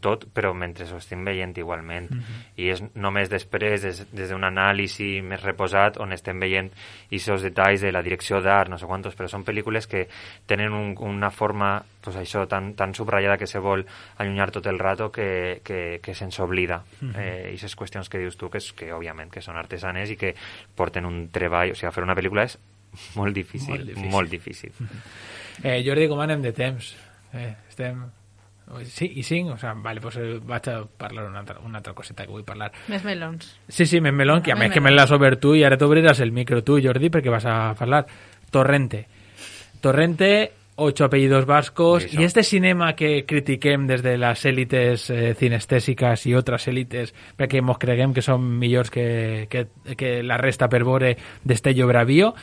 tot, però mentre ho estem veient igualment. Mm-hmm. I és només després, des, des d'un anàlisi més reposat, on estem veient aquests detalls de la direcció d'art, no sé quantos, però són pel·lícules que tenen un, una forma, pues això, tan, tan subratllada que se vol allunyar tot el rato que, que, que se'ns oblida. Mm-hmm. Eh, aquestes qüestions que dius tu, que, és, que òbviament que són artesanes i que porten un treball, o sigui, fer una pel·lícula és molt difícil, molt difícil. Molt difícil. Mm-hmm. eh, Jordi, com anem de temps? Eh, estem... Sí, i cinc? O sigui, vale, pues vaig a parlar una altra, una altra coseta que vull parlar. Més melons. Sí, sí, més melons, que a més que me l'has obert tu i ara t'obriràs el micro tu, Jordi, perquè vas a parlar. Torrente. Torrente, ocho apellidos vascos, sí, y este cinema que critiquem des de les èlites eh, cinestèsiques i altres èlites perquè mos creguem que són millors que, que, que la resta per veure Destello Bravío,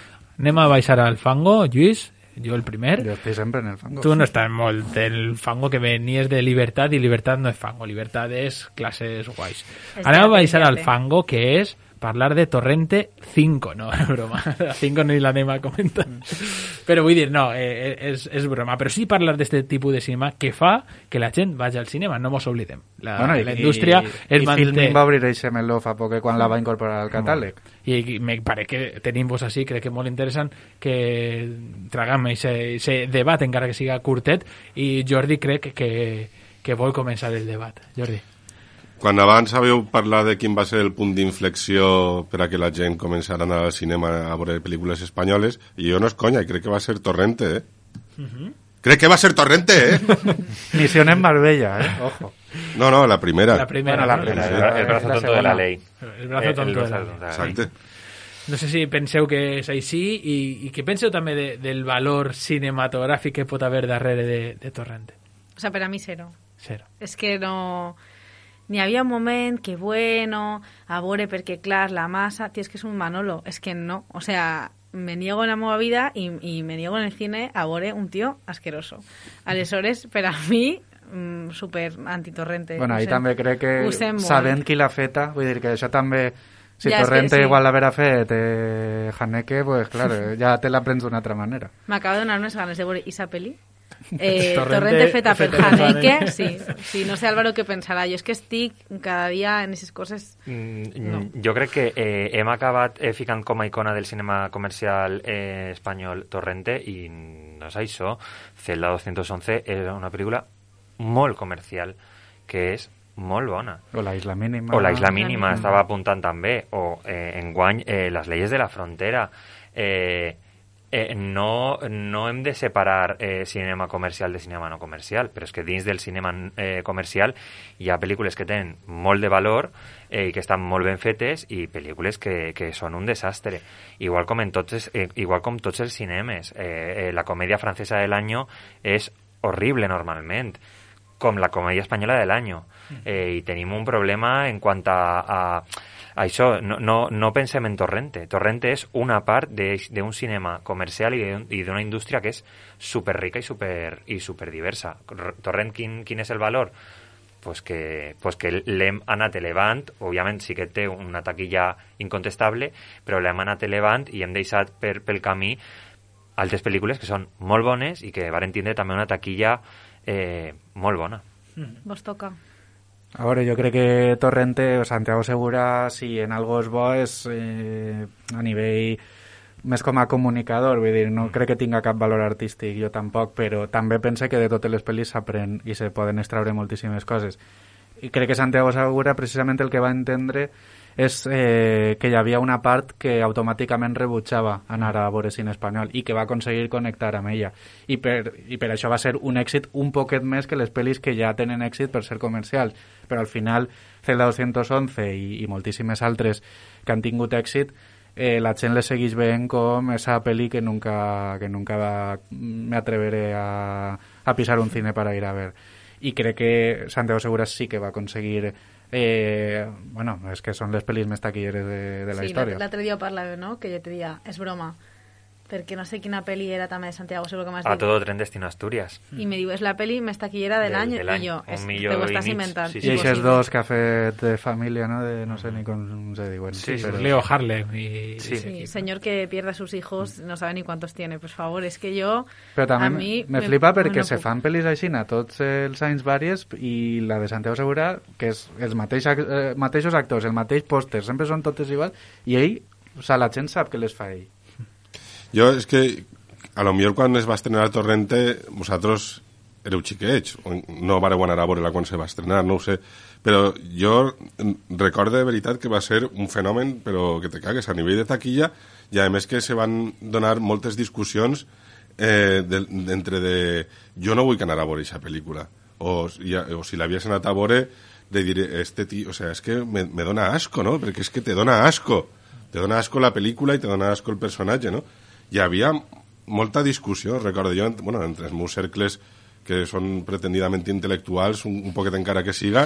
anem a baixar al fango, Lluís? Jo el primer. Jo estic sempre en el fango. Tu no estàs molt el fango que venies de Libertad, i Libertad no és fango, Libertad és classes guais. Anem a baixar al fango, que és parlar de Torrente cinco, no, és broma, la cinco no la anem a comentar, però vull dir, no, eh, és, és broma, però sí parlar d'aquest tipus de cinema que fa que la gent vagi al cinema, no mos oblidem. La, bueno, i, la indústria i, es i manté... Filmin va obrir eixe meló fa poc quan la va incorporar al catàleg. I, i me pare que tenim vos així, crec que és molt interessant que tragam aquest debat, encara que siga curtet, i Jordi crec que, que vol començar el debat. Jordi. Quan abans sabeu parlar de quin va ser el punt d'inflexió per a que la gent començara a anar al cinema a veure pel·lícules espanyoles, i jo no és conya, crec que va ser Torrente, eh? Uh-huh. Crec que va ser Torrente, eh? Misión en Marbella, eh? Ojo. No, no, la primera. La primera, bueno, la primera. El, el, el brazo tonto de la ley. El brazo tonto de la ley. Exacte. No sé si penseu que és així i, i que penseu també de, del valor cinematogràfic que pot haver darrere de, de Torrente. O sea, per a mi zero. Zero. És que no... N'hi havia un moment que, bueno, a veure, perquè, clar, la massa... Tio, és que és un Manolo. És que no. O sea, me niego en la meva vida i, i me niego en el cine a veure un tio asqueroso. Aleshores, per a mi, mm, super antitorrente. Bueno, ahí també crec que sabent qui l'ha feta, vull dir que això també... Si ja, Torrente sí. Igual l'haver fet eh, Haneke, pues claro, ja te la prens d'una altra manera. M'acaba de donar unes ganes de veure Isa peli. Eh, Torrente, Torrente feta per Haneke, sí, sí. No sé, Álvaro, què pensarà. Jo és que estic cada dia en aquestes coses... Mm, no. Jo crec que eh, hem acabat eh, ficant com a icona del cinema comercial eh, espanyol Torrente, i no és això. Celda dos once era una pel·lícula molt comercial, que és molt bona. O la Isla Mínima. O la Isla Mínima, estava apuntant també. O eh, enguany, eh, les leyes de la frontera. Eh, eh, no, no hem de separar eh, cinema comercial de cinema no comercial, però és que dins del cinema eh, comercial hi ha pel·lícules que tenen molt de valor eh, i que estan molt ben fetes, i pel·lícules que, que són un desastre. Igual com, en tots, eh, igual com tots els cinemes. Eh, eh, la comèdia francesa de l'any és horrible normalment. com la comèdia espanyola de l'any. Eh, I tenim un problema en quant a, a, a això. No, no, no pensem en Torrente. Torrente és una part d'un cinema comercial i d'una indústria que és superrica i super, i superdiversa. Torrent, quin, quin és el valor? Pues que, pues que l'hem anat elevant, òbviament sí que té una taquilla incontestable, però l'hem anat elevant i hem deixat per, pel camí altres pel·lícules que són molt bones i que varen tindre també una taquilla eh, molt bona. Mm. Vos toca. A veure, jo crec que Torrente o Santiago Segura, si en algo és bo, és eh, a nivell més com a comunicador, vull dir, no crec que tinga cap valor artístic, jo tampoc, però també pense que de totes les pel·lis s'aprèn i se poden extraure moltíssimes coses. I crec que Santiago Segura precisament el que va entendre és eh, que hi havia una part que automàticament rebutjava anar a veure cine espanyol i que va aconseguir connectar amb ella. I per, i per això va ser un èxit un poquet més que les pel·lis que ja tenen èxit per ser comercials. Però al final, Celda dos once i, i moltíssimes altres que han tingut èxit, eh, la gent les segueix veient com esa pel·li que nunca, que nunca va, me atreveré a, a pisar un cine para ir a ver. I crec que Santiago Segura sí que va aconseguir Eh, bueno, és que són les pel·lis més taquilleres de, de la sí, història. Sí, l'altre dia parlava, no?, que jo te dia, és broma, perquè no sé quina pel·li era també de Santiago Segura que m'has dit. A todo tren destino Asturias. I me diu, és la pel·li més taquillera de l'any, i jo, és, te ho estàs inventant. Sí, sí, I aquests dos que ha fet de família, no?, de no sé ni com se diuen. Sí, pero... Leo Harlem. Y... Sí, sí, señor que pierda a sus hijos, no sabe ni cuántos tiene, por favor, es que yo... Però també a mi me, me flipa perquè no se fan pel·lis així a tots els anys vàries i la de Santiago Segura, que és els mateix, eh, mateixos actors, el mateix pòster, sempre són totes igual, i ell, o sea, la gent sap que les fa ell. Jo és que a lo millor quan es va estrenar Torrente vosaltres éreu xiquets, no vareu anar a veure-la quan se va estrenar, no ho sé, però jo recordo de veritat que va ser un fenomen, però que te cagues, a nivell de taquilla, i a més que se van donar moltes discussions eh, de, entre de jo no vull anar a veure aquesta pel·lícula, o, ja, o si l'havies anat a veure, de dir, este tio, o sea, és que me, me dona asco, no? Perquè és que te dona asco, te dona asco la pel·lícula i te dona asco el personatge, no? Hi havia molta discussió, recordo jo, bueno, entre els meus cercles que són pretendidament intel·lectuals, un, un poquet encara que siga,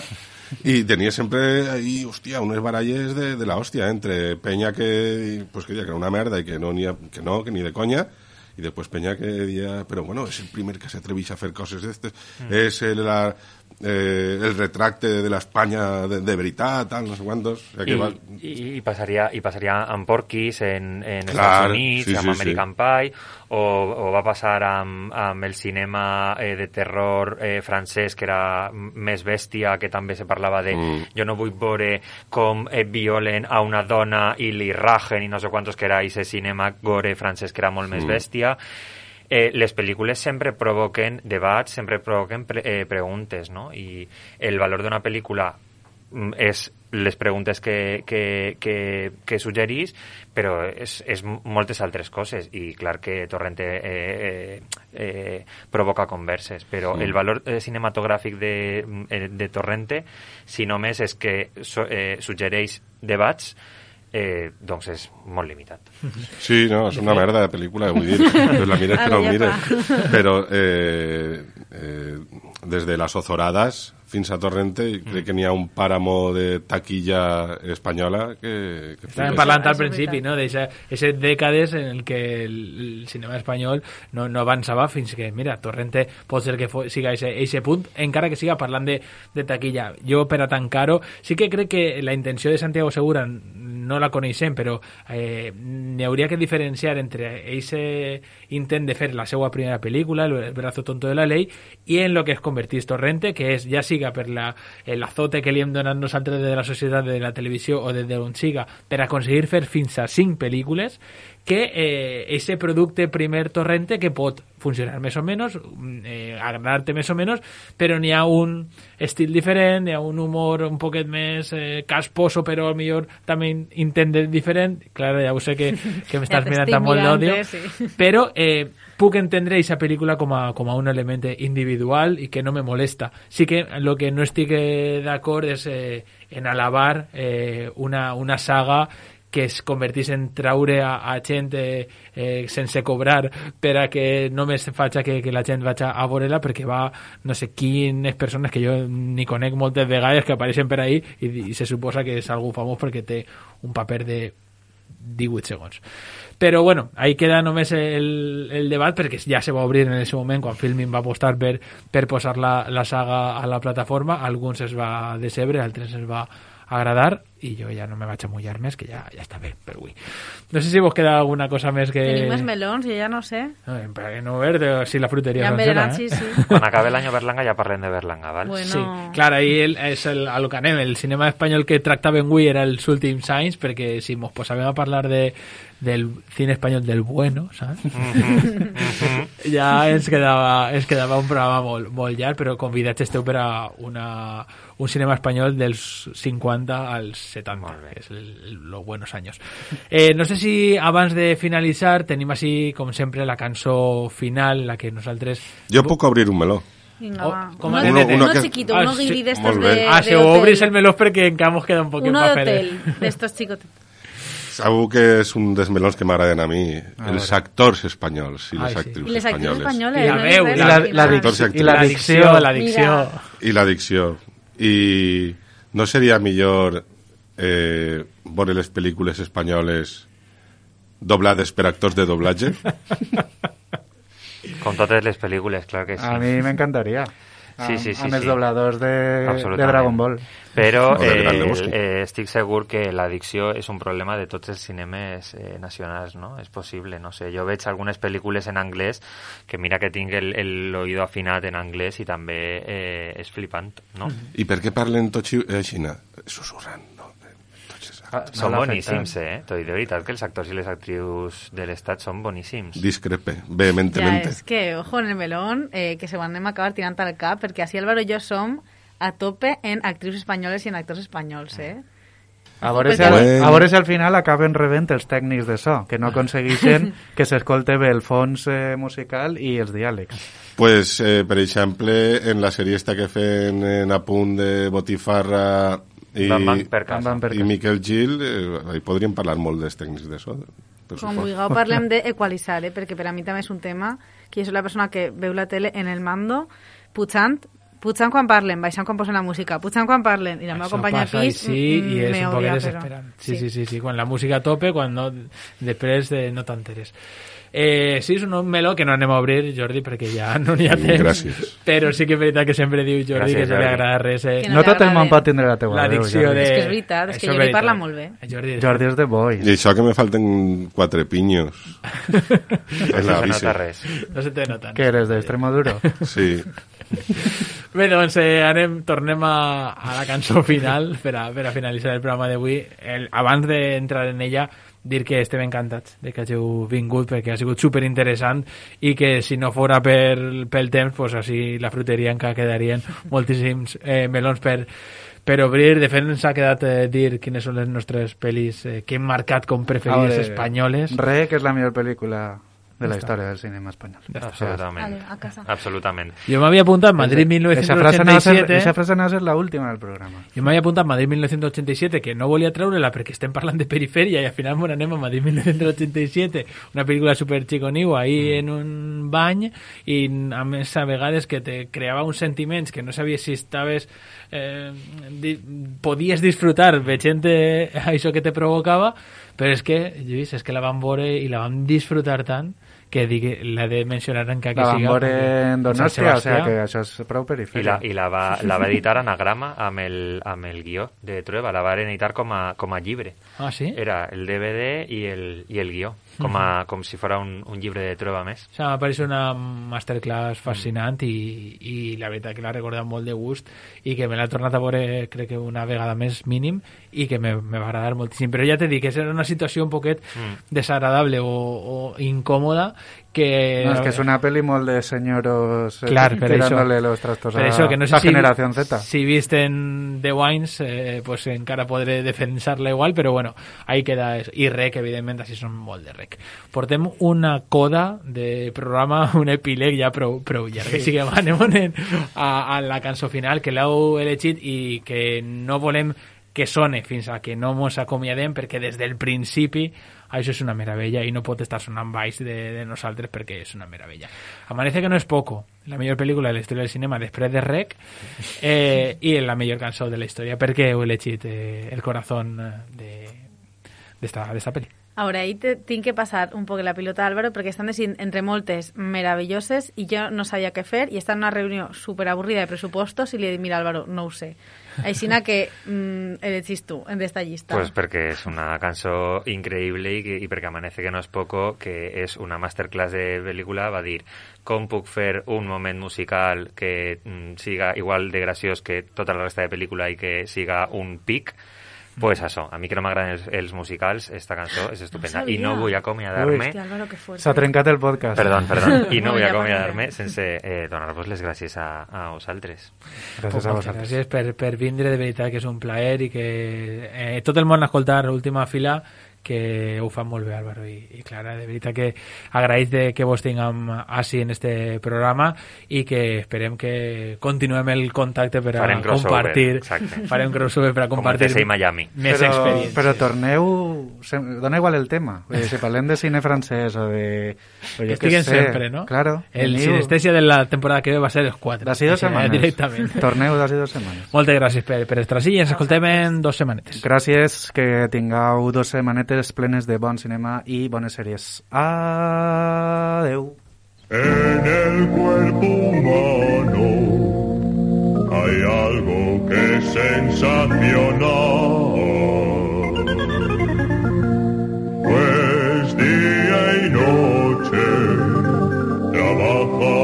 i tenia sempre ahí, hòstia, unes baralles de, de la hòstia, eh? Entre penya que, pues, que deia que era una merda i que no, ni, que no, que ni de conya, i després penya que deia, però bueno, és el primer que s'atreveix a fer coses d'estes, mm. és el, la, eh, el retracte de l'Espanya de, de veritat, tal, no sé quantos. O sea, que I, va... i, i, passaria, i passaria amb Porky's en, en Clar, Estats Units, sí, amb sí, American sí. Pie, o, o va passar amb, amb el cinema eh, de terror eh, francès, que era més bèstia, que també se parlava de mm. jo no vull veure com eh, violen a una dona i li rajen i no sé quantos, que era ese cinema gore francès que era molt mm. més bèstia. Eh, les pel·lícules sempre provoquen debats, sempre provoquen pre eh, preguntes, no? I el valor d'una pel·lícula mm, és les preguntes que, que, que, que suggerís, però és, és moltes altres coses, i clar que Torrente eh, eh, eh, provoca converses, però mm. el valor eh, cinematogràfic de, eh, de Torrente, si només és que so, eh, suggereix debats, Eh, doncs és molt limitat. Sí, no, és una merda de pel·lícula, vull dir, pues la mires que no mires, però eh, eh, des de Las Ozoradas fins a Torrente mm. crec que n'hi ha un pàramo de taquilla espanyola que... que Estàvem parlant al principi, no?, d'aquestes dècades en el que el, el cinema espanyol no, no avançava fins que, mira, Torrente pot ser que fo, siga ese punt, encara que siga parlant de, de taquilla. Jo, per a tancar-ho, sí que crec que la intenció de Santiago Segura no la coneixem, però eh, n'hi hauria que diferenciar entre aquest intent de fer la seva primera pel·lícula, El brazo tonto de la ley, i en lo que es convertís Torrente, que és, ja siga per la, l'azote que li hem donat nosaltres de la societat, de la televisió o de d'on siga, per aconseguir fer fins a cinc pel·lícules, que eh, ese producte primer Torrente que pot funcionar més o menys, eh, agradar-te més o menys, però n'hi ha un estil diferent, n'hi ha un humor un poquet més eh, casposo, però a millor també intent diferent. Clar, ja ho sé que, que m'estàs ja mirant amb molt d'òdio, sí. però eh, puc entendre aquesta pel·lícula com a, com a un element individual i que no me molesta. Sí que el que no estic eh, d'acord és eh, en alabar eh, una, una saga que es convertís en traure a, a gent eh, eh, sense cobrar per a que només faci que, que la gent vagi a veure-la, perquè va no sé quines persones que jo ni conec moltes vegades que apareixen per ahí i, i se suposa que és algú famós perquè té un paper de divuit segons. Però bueno, ahí queda només el, el debat, perquè ja se va obrir en ese moment quan Filmin va apostar per, per posar la, la saga a la plataforma. A alguns es va decebre, a altres es va agradar, i jo ja no me vaig a mullar més, que ja, ja està bé per avui. No sé si vos queda alguna cosa més que... Tenim més melons, jo ja no sé. No, per què no verde, si la fruteria ja sencera, eh? Sí, sí. Quan acabe l'any Berlanga ja parlem de Berlanga, val? Bueno. Sí, clar, ahí el, és el, a lo que anem, el cinema espanyol que tractaven avui era els últims anys, perquè si mos posàvem a parlar de, del cine espanyol del bueno, saps? Mm-hmm. Mm-hmm. Ja ens quedava, ens quedava un programa molt, molt llarg, però convidats esteu per a una, un cinema espanyol dels cinquanta als setanta, que és el, los buenos años. Eh, no sé si abans de finalitzar tenim així, com sempre, la cançó final, la que nosaltres... Jo puc obrir un meló. Vinga, Oh, va. com Uno, a uno, nene. uno que- chiquito, Ah, uno sí, guiri de estos molt de, bé. Ah, de si hotel. obris el meló perquè encara mos queda un poquet Uno pa de fer. hotel, de estos chicos. Segur que és un dels melons que m'agraden a mi, els actors espanyols i Ai, les sí. actrius I les actrius espanyoles. espanyoles. I la no veu, dic i res, la- al la final. Actors i dic- i la actrius. dicció. la dicció. Mira. I la dicció. I no seria millor eh, veure les pel·lícules espanyoles doblades per actors de doblatge? Com totes les pel·lícules, clar que sí. A mi m'encantaria. Sí, sí, sí, Amb els sí. dobladors de, de Absolutament. Dragon Ball. Però O de eh, Gran Lebowski. eh, estic segur que l'addicció és un problema de tots els cinemes eh, nacionals, no? És possible, no sé. Jo veig algunes pel·lícules en anglès que mira que tinc el, el oído afinat en anglès i també eh, és flipant, no? I per què parlen tots així? Susurrant, no? Tots Ah, no Són l'afecta. boníssims, eh? T'ho dic de veritat que els actors i les actrius de l'estat són boníssims. Discrepe, Ja, vehementemente. és que, ojo, en el melón, eh, que se ho anem a acabar tirant al cap, perquè així Álvaro i jo som a tope en actrius espanyoles i en actors espanyols, eh? A veure, si Perquè- al, Bueno. a veure si al final acaben rebent els tècnics de so, que no aconsegueixen que s'escolte bé el fons eh, musical i els diàlegs. Pues, eh, per exemple, en la sèrie esta quefen en A punt de Botifarra i, Van Van per casa. Van Van per i casa. Miquel Gil, eh, ahí podríem parlar molt dels tècnics de so. Per Com suport. vulgueu parlem d'equalitzar, eh? Perquè per a mi també és un tema que jo soc la persona que veu la tele en el mando, pujant, pujant quan parlen, baixant quan posen la música, pujant quan parlen, i la meva Això companya passa de i pis sí, i mm, és me un poc odia, desesperant. però- Sí, sí, sí, sí, quan la música a tope, quan no, després de, no t'enteres. Eh, sí, és un meló que no anem a obrir, Jordi, perquè ja no n'hi ha temps. Gràcies. Però sí que és veritat que sempre diu Jordi Gràcies, que se li Jordi. agrada res. Eh, Que No li tot el agrade. món pot tindre la teua la veu, dicció Jordi. de... És que és veritat, és que Això Jordi veritat. parla molt bé. Jordi, Jordi és de Boys. I això que me falten quatre pinyos en No la se bici. nota res. no se te noten. Que eres d'Extremoduro? Sí. Bé, doncs eh, anem, tornem a, a la cançó final per a, per a finalitzar el programa d'avui. El- Abans d'entrar en ella, dir que estem encantats de que hàgiu vingut perquè ha sigut super interessant i que si no fora per, pel temps, pues així la fruteria encara quedarien moltíssims eh, melons per, per obrir. De fet, ens ha quedat eh, dir quines són les nostres pel·lis eh, que hem marcat com preferides Ahora, espanyoles. Re, que és la millor pel·lícula de la història del cinema espanyol. Absolutament. Vale, a casa. Absolutament. Jo m'havia apuntat Madrid Esa frase no va a ser, mil novecientos ochenta y siete. esa frase no va a ser la última del programa. Jo m'havia apuntat Madrid mil novecientos ochenta y siete, que no volia treure-la perquè estem parlant de perifèria i al final m'on anem a Madrid mil novecientos ochenta y siete, una pel·lícula super xiconiu ahí en un bany i a més a vegades que te creava uns sentiments que no sabies si estaves eh, di podies disfrutar veient això que te provocava, però és que, Lluís, és que la vam veure i la vam disfrutar tant que dic, l'he de mencionar encara que La van siga veure en Sant Donòstia, o Sebastià. sea que això és prou I perifèria. la, i la, va, la va editar Anagrama amb el, amb el guió de Trueba, la va editar com a, com a llibre. Ah, sí? Era el D V D i el, i el guió, com, a, com si fos un, un llibre de Trueba més. O sigui, m'ha paregut una masterclass fascinant i, i la veritat que l'ha recordat molt de gust i que me l'ha tornat a veure crec que una vegada més mínim i que me, me va agradar moltíssim. Però ja t'he dit que és una situació un poquet Mm. desagradable o, o incòmoda que... No, és que és una pel·li molt de senyoros eh, Clar, per això. tirándole los trastos Per a això, que no sé la si, generación Z. si visten The Wines, eh, pues encara podré defensar-la igual, però bueno, ahí queda eso. I rec, evidentment, així són molt de rec. Portem una coda de programa, un epíleg ja prou, prou llarg. Així que anem a, a la cançó final, que l'heu elegit i que no volem que sone fins a que no mos acomiadem, perquè des del principi això és una meravella i no pot estar sonant baix de, de nosaltres perquè és una meravella. Amanece que no és poco, la millor pel·lícula de la història del cinema després de Rec, eh, i la millor cançó de la història, perquè heu elegit eh, El corazón de d'esta de pel·li. Ahora, ahí te, tinc que passar un poc la pilota a Álvaro perquè estan decidint entre moltes meravelloses i jo no sabia què fer i està en una reunió superavorrida de pressupostos i li he dit, mira Álvaro, no ho sé. Aixina que mm, elegis tu en d'esta llista. Pues perquè és una cançó increïble i, que, i perquè Amanece que no és poco, que és una masterclass de pel·lícula, va dir com puc fer un moment musical que mm, siga igual de graciós que tota la resta de pel·lícula i que siga un pic. Pues això, a mi que no m'agraden els, els musicals, esta cançó és estupenda. No I no vull acomiadar-me... S'ha trencat el podcast. Perdó, perdó. I no vull acomiadar-me sense eh, donar-vos les gràcies a, a vosaltres. Gràcies a vosaltres. Gràcies per, per vindre, de veritat que és un plaer i que eh, tot el món escoltar l'última fila, que ho fan molt bé Álvaro i, i Clara, de veritat que agraït de que vos tinguem així en este programa i que esperem que continuem el contacte per a farem compartir crossover, farem crossover per a compartir com Miami. més però, experiències. Però torneu, dona igual el tema, dir, si parlem de cine francès o de... Que estiguen sé, sempre, no? Claro. El sinestèsia de la temporada que ve va ser els quatre. D'ací dues setmanes. Directament. Torneu d'ací dues setmanes. Moltes gràcies per, per estar així i ens escoltem en dos setmanetes. Gràcies, que tingueu dos setmanetes plenes de bon cinema i bones sèries. Adeu. En el cuerpo humano hay algo que es sensacional, pues día y noche trabaja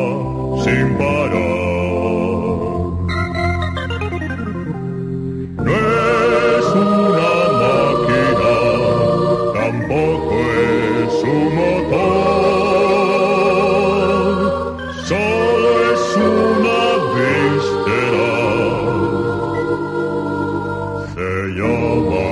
sin parar. No es una máquina, tampoco es su motor, solo es una víscera, se llama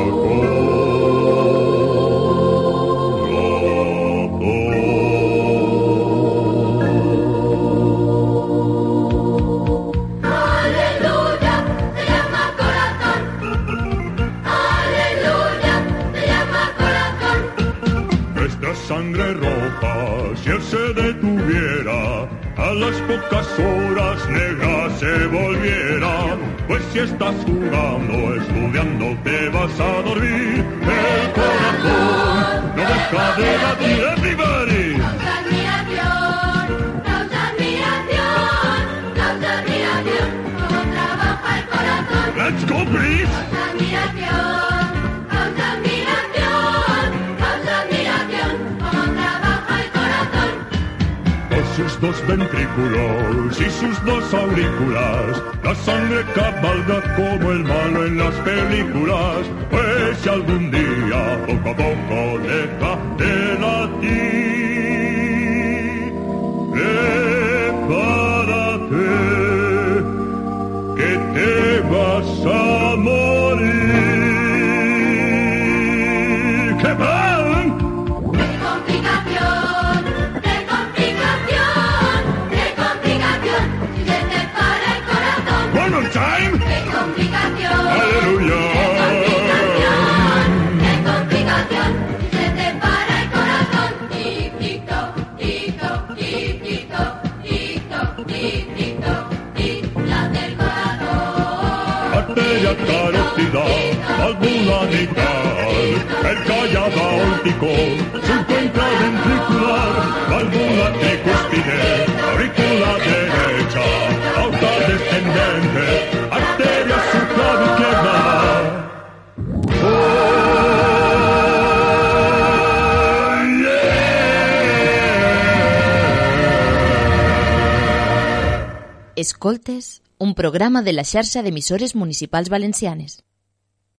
sangre roja, si él se detuviera, a las pocas horas negra se volviera. Pues si estás jugando, estudiando, te vas a dormir. El corazón no deja de latir. Everybody. Causa admiración, causa admiración, causa admiración, cómo trabaja el corazón. Let's go, please. Causa admiración. Sus dos ventrículos y sus dos aurículas, la sangre cabalga como el malo en las películas. Pues si algún día poco a poco deja de latir, prepárate que te vas a morir. ¡Qué mal! Time. ¡Qué complicación! ¡Aleluya! ¡Qué complicación! ¡Qué complicación! Se te para el corazón. Tic, tic, toc, tic, toc, tic, tic, toc, tic, toc, tic, tic, toc, tic, late el corazón. Arteria carótida, válvula mitral, el callado aórtico, se encuentra ventricular, válvula tricúspide, aurícula derecha, aorta descendente, arteria supraizquierda. Oh, yeah. Escoltes, un programa de la xarxa d'emissores municipals valencianes.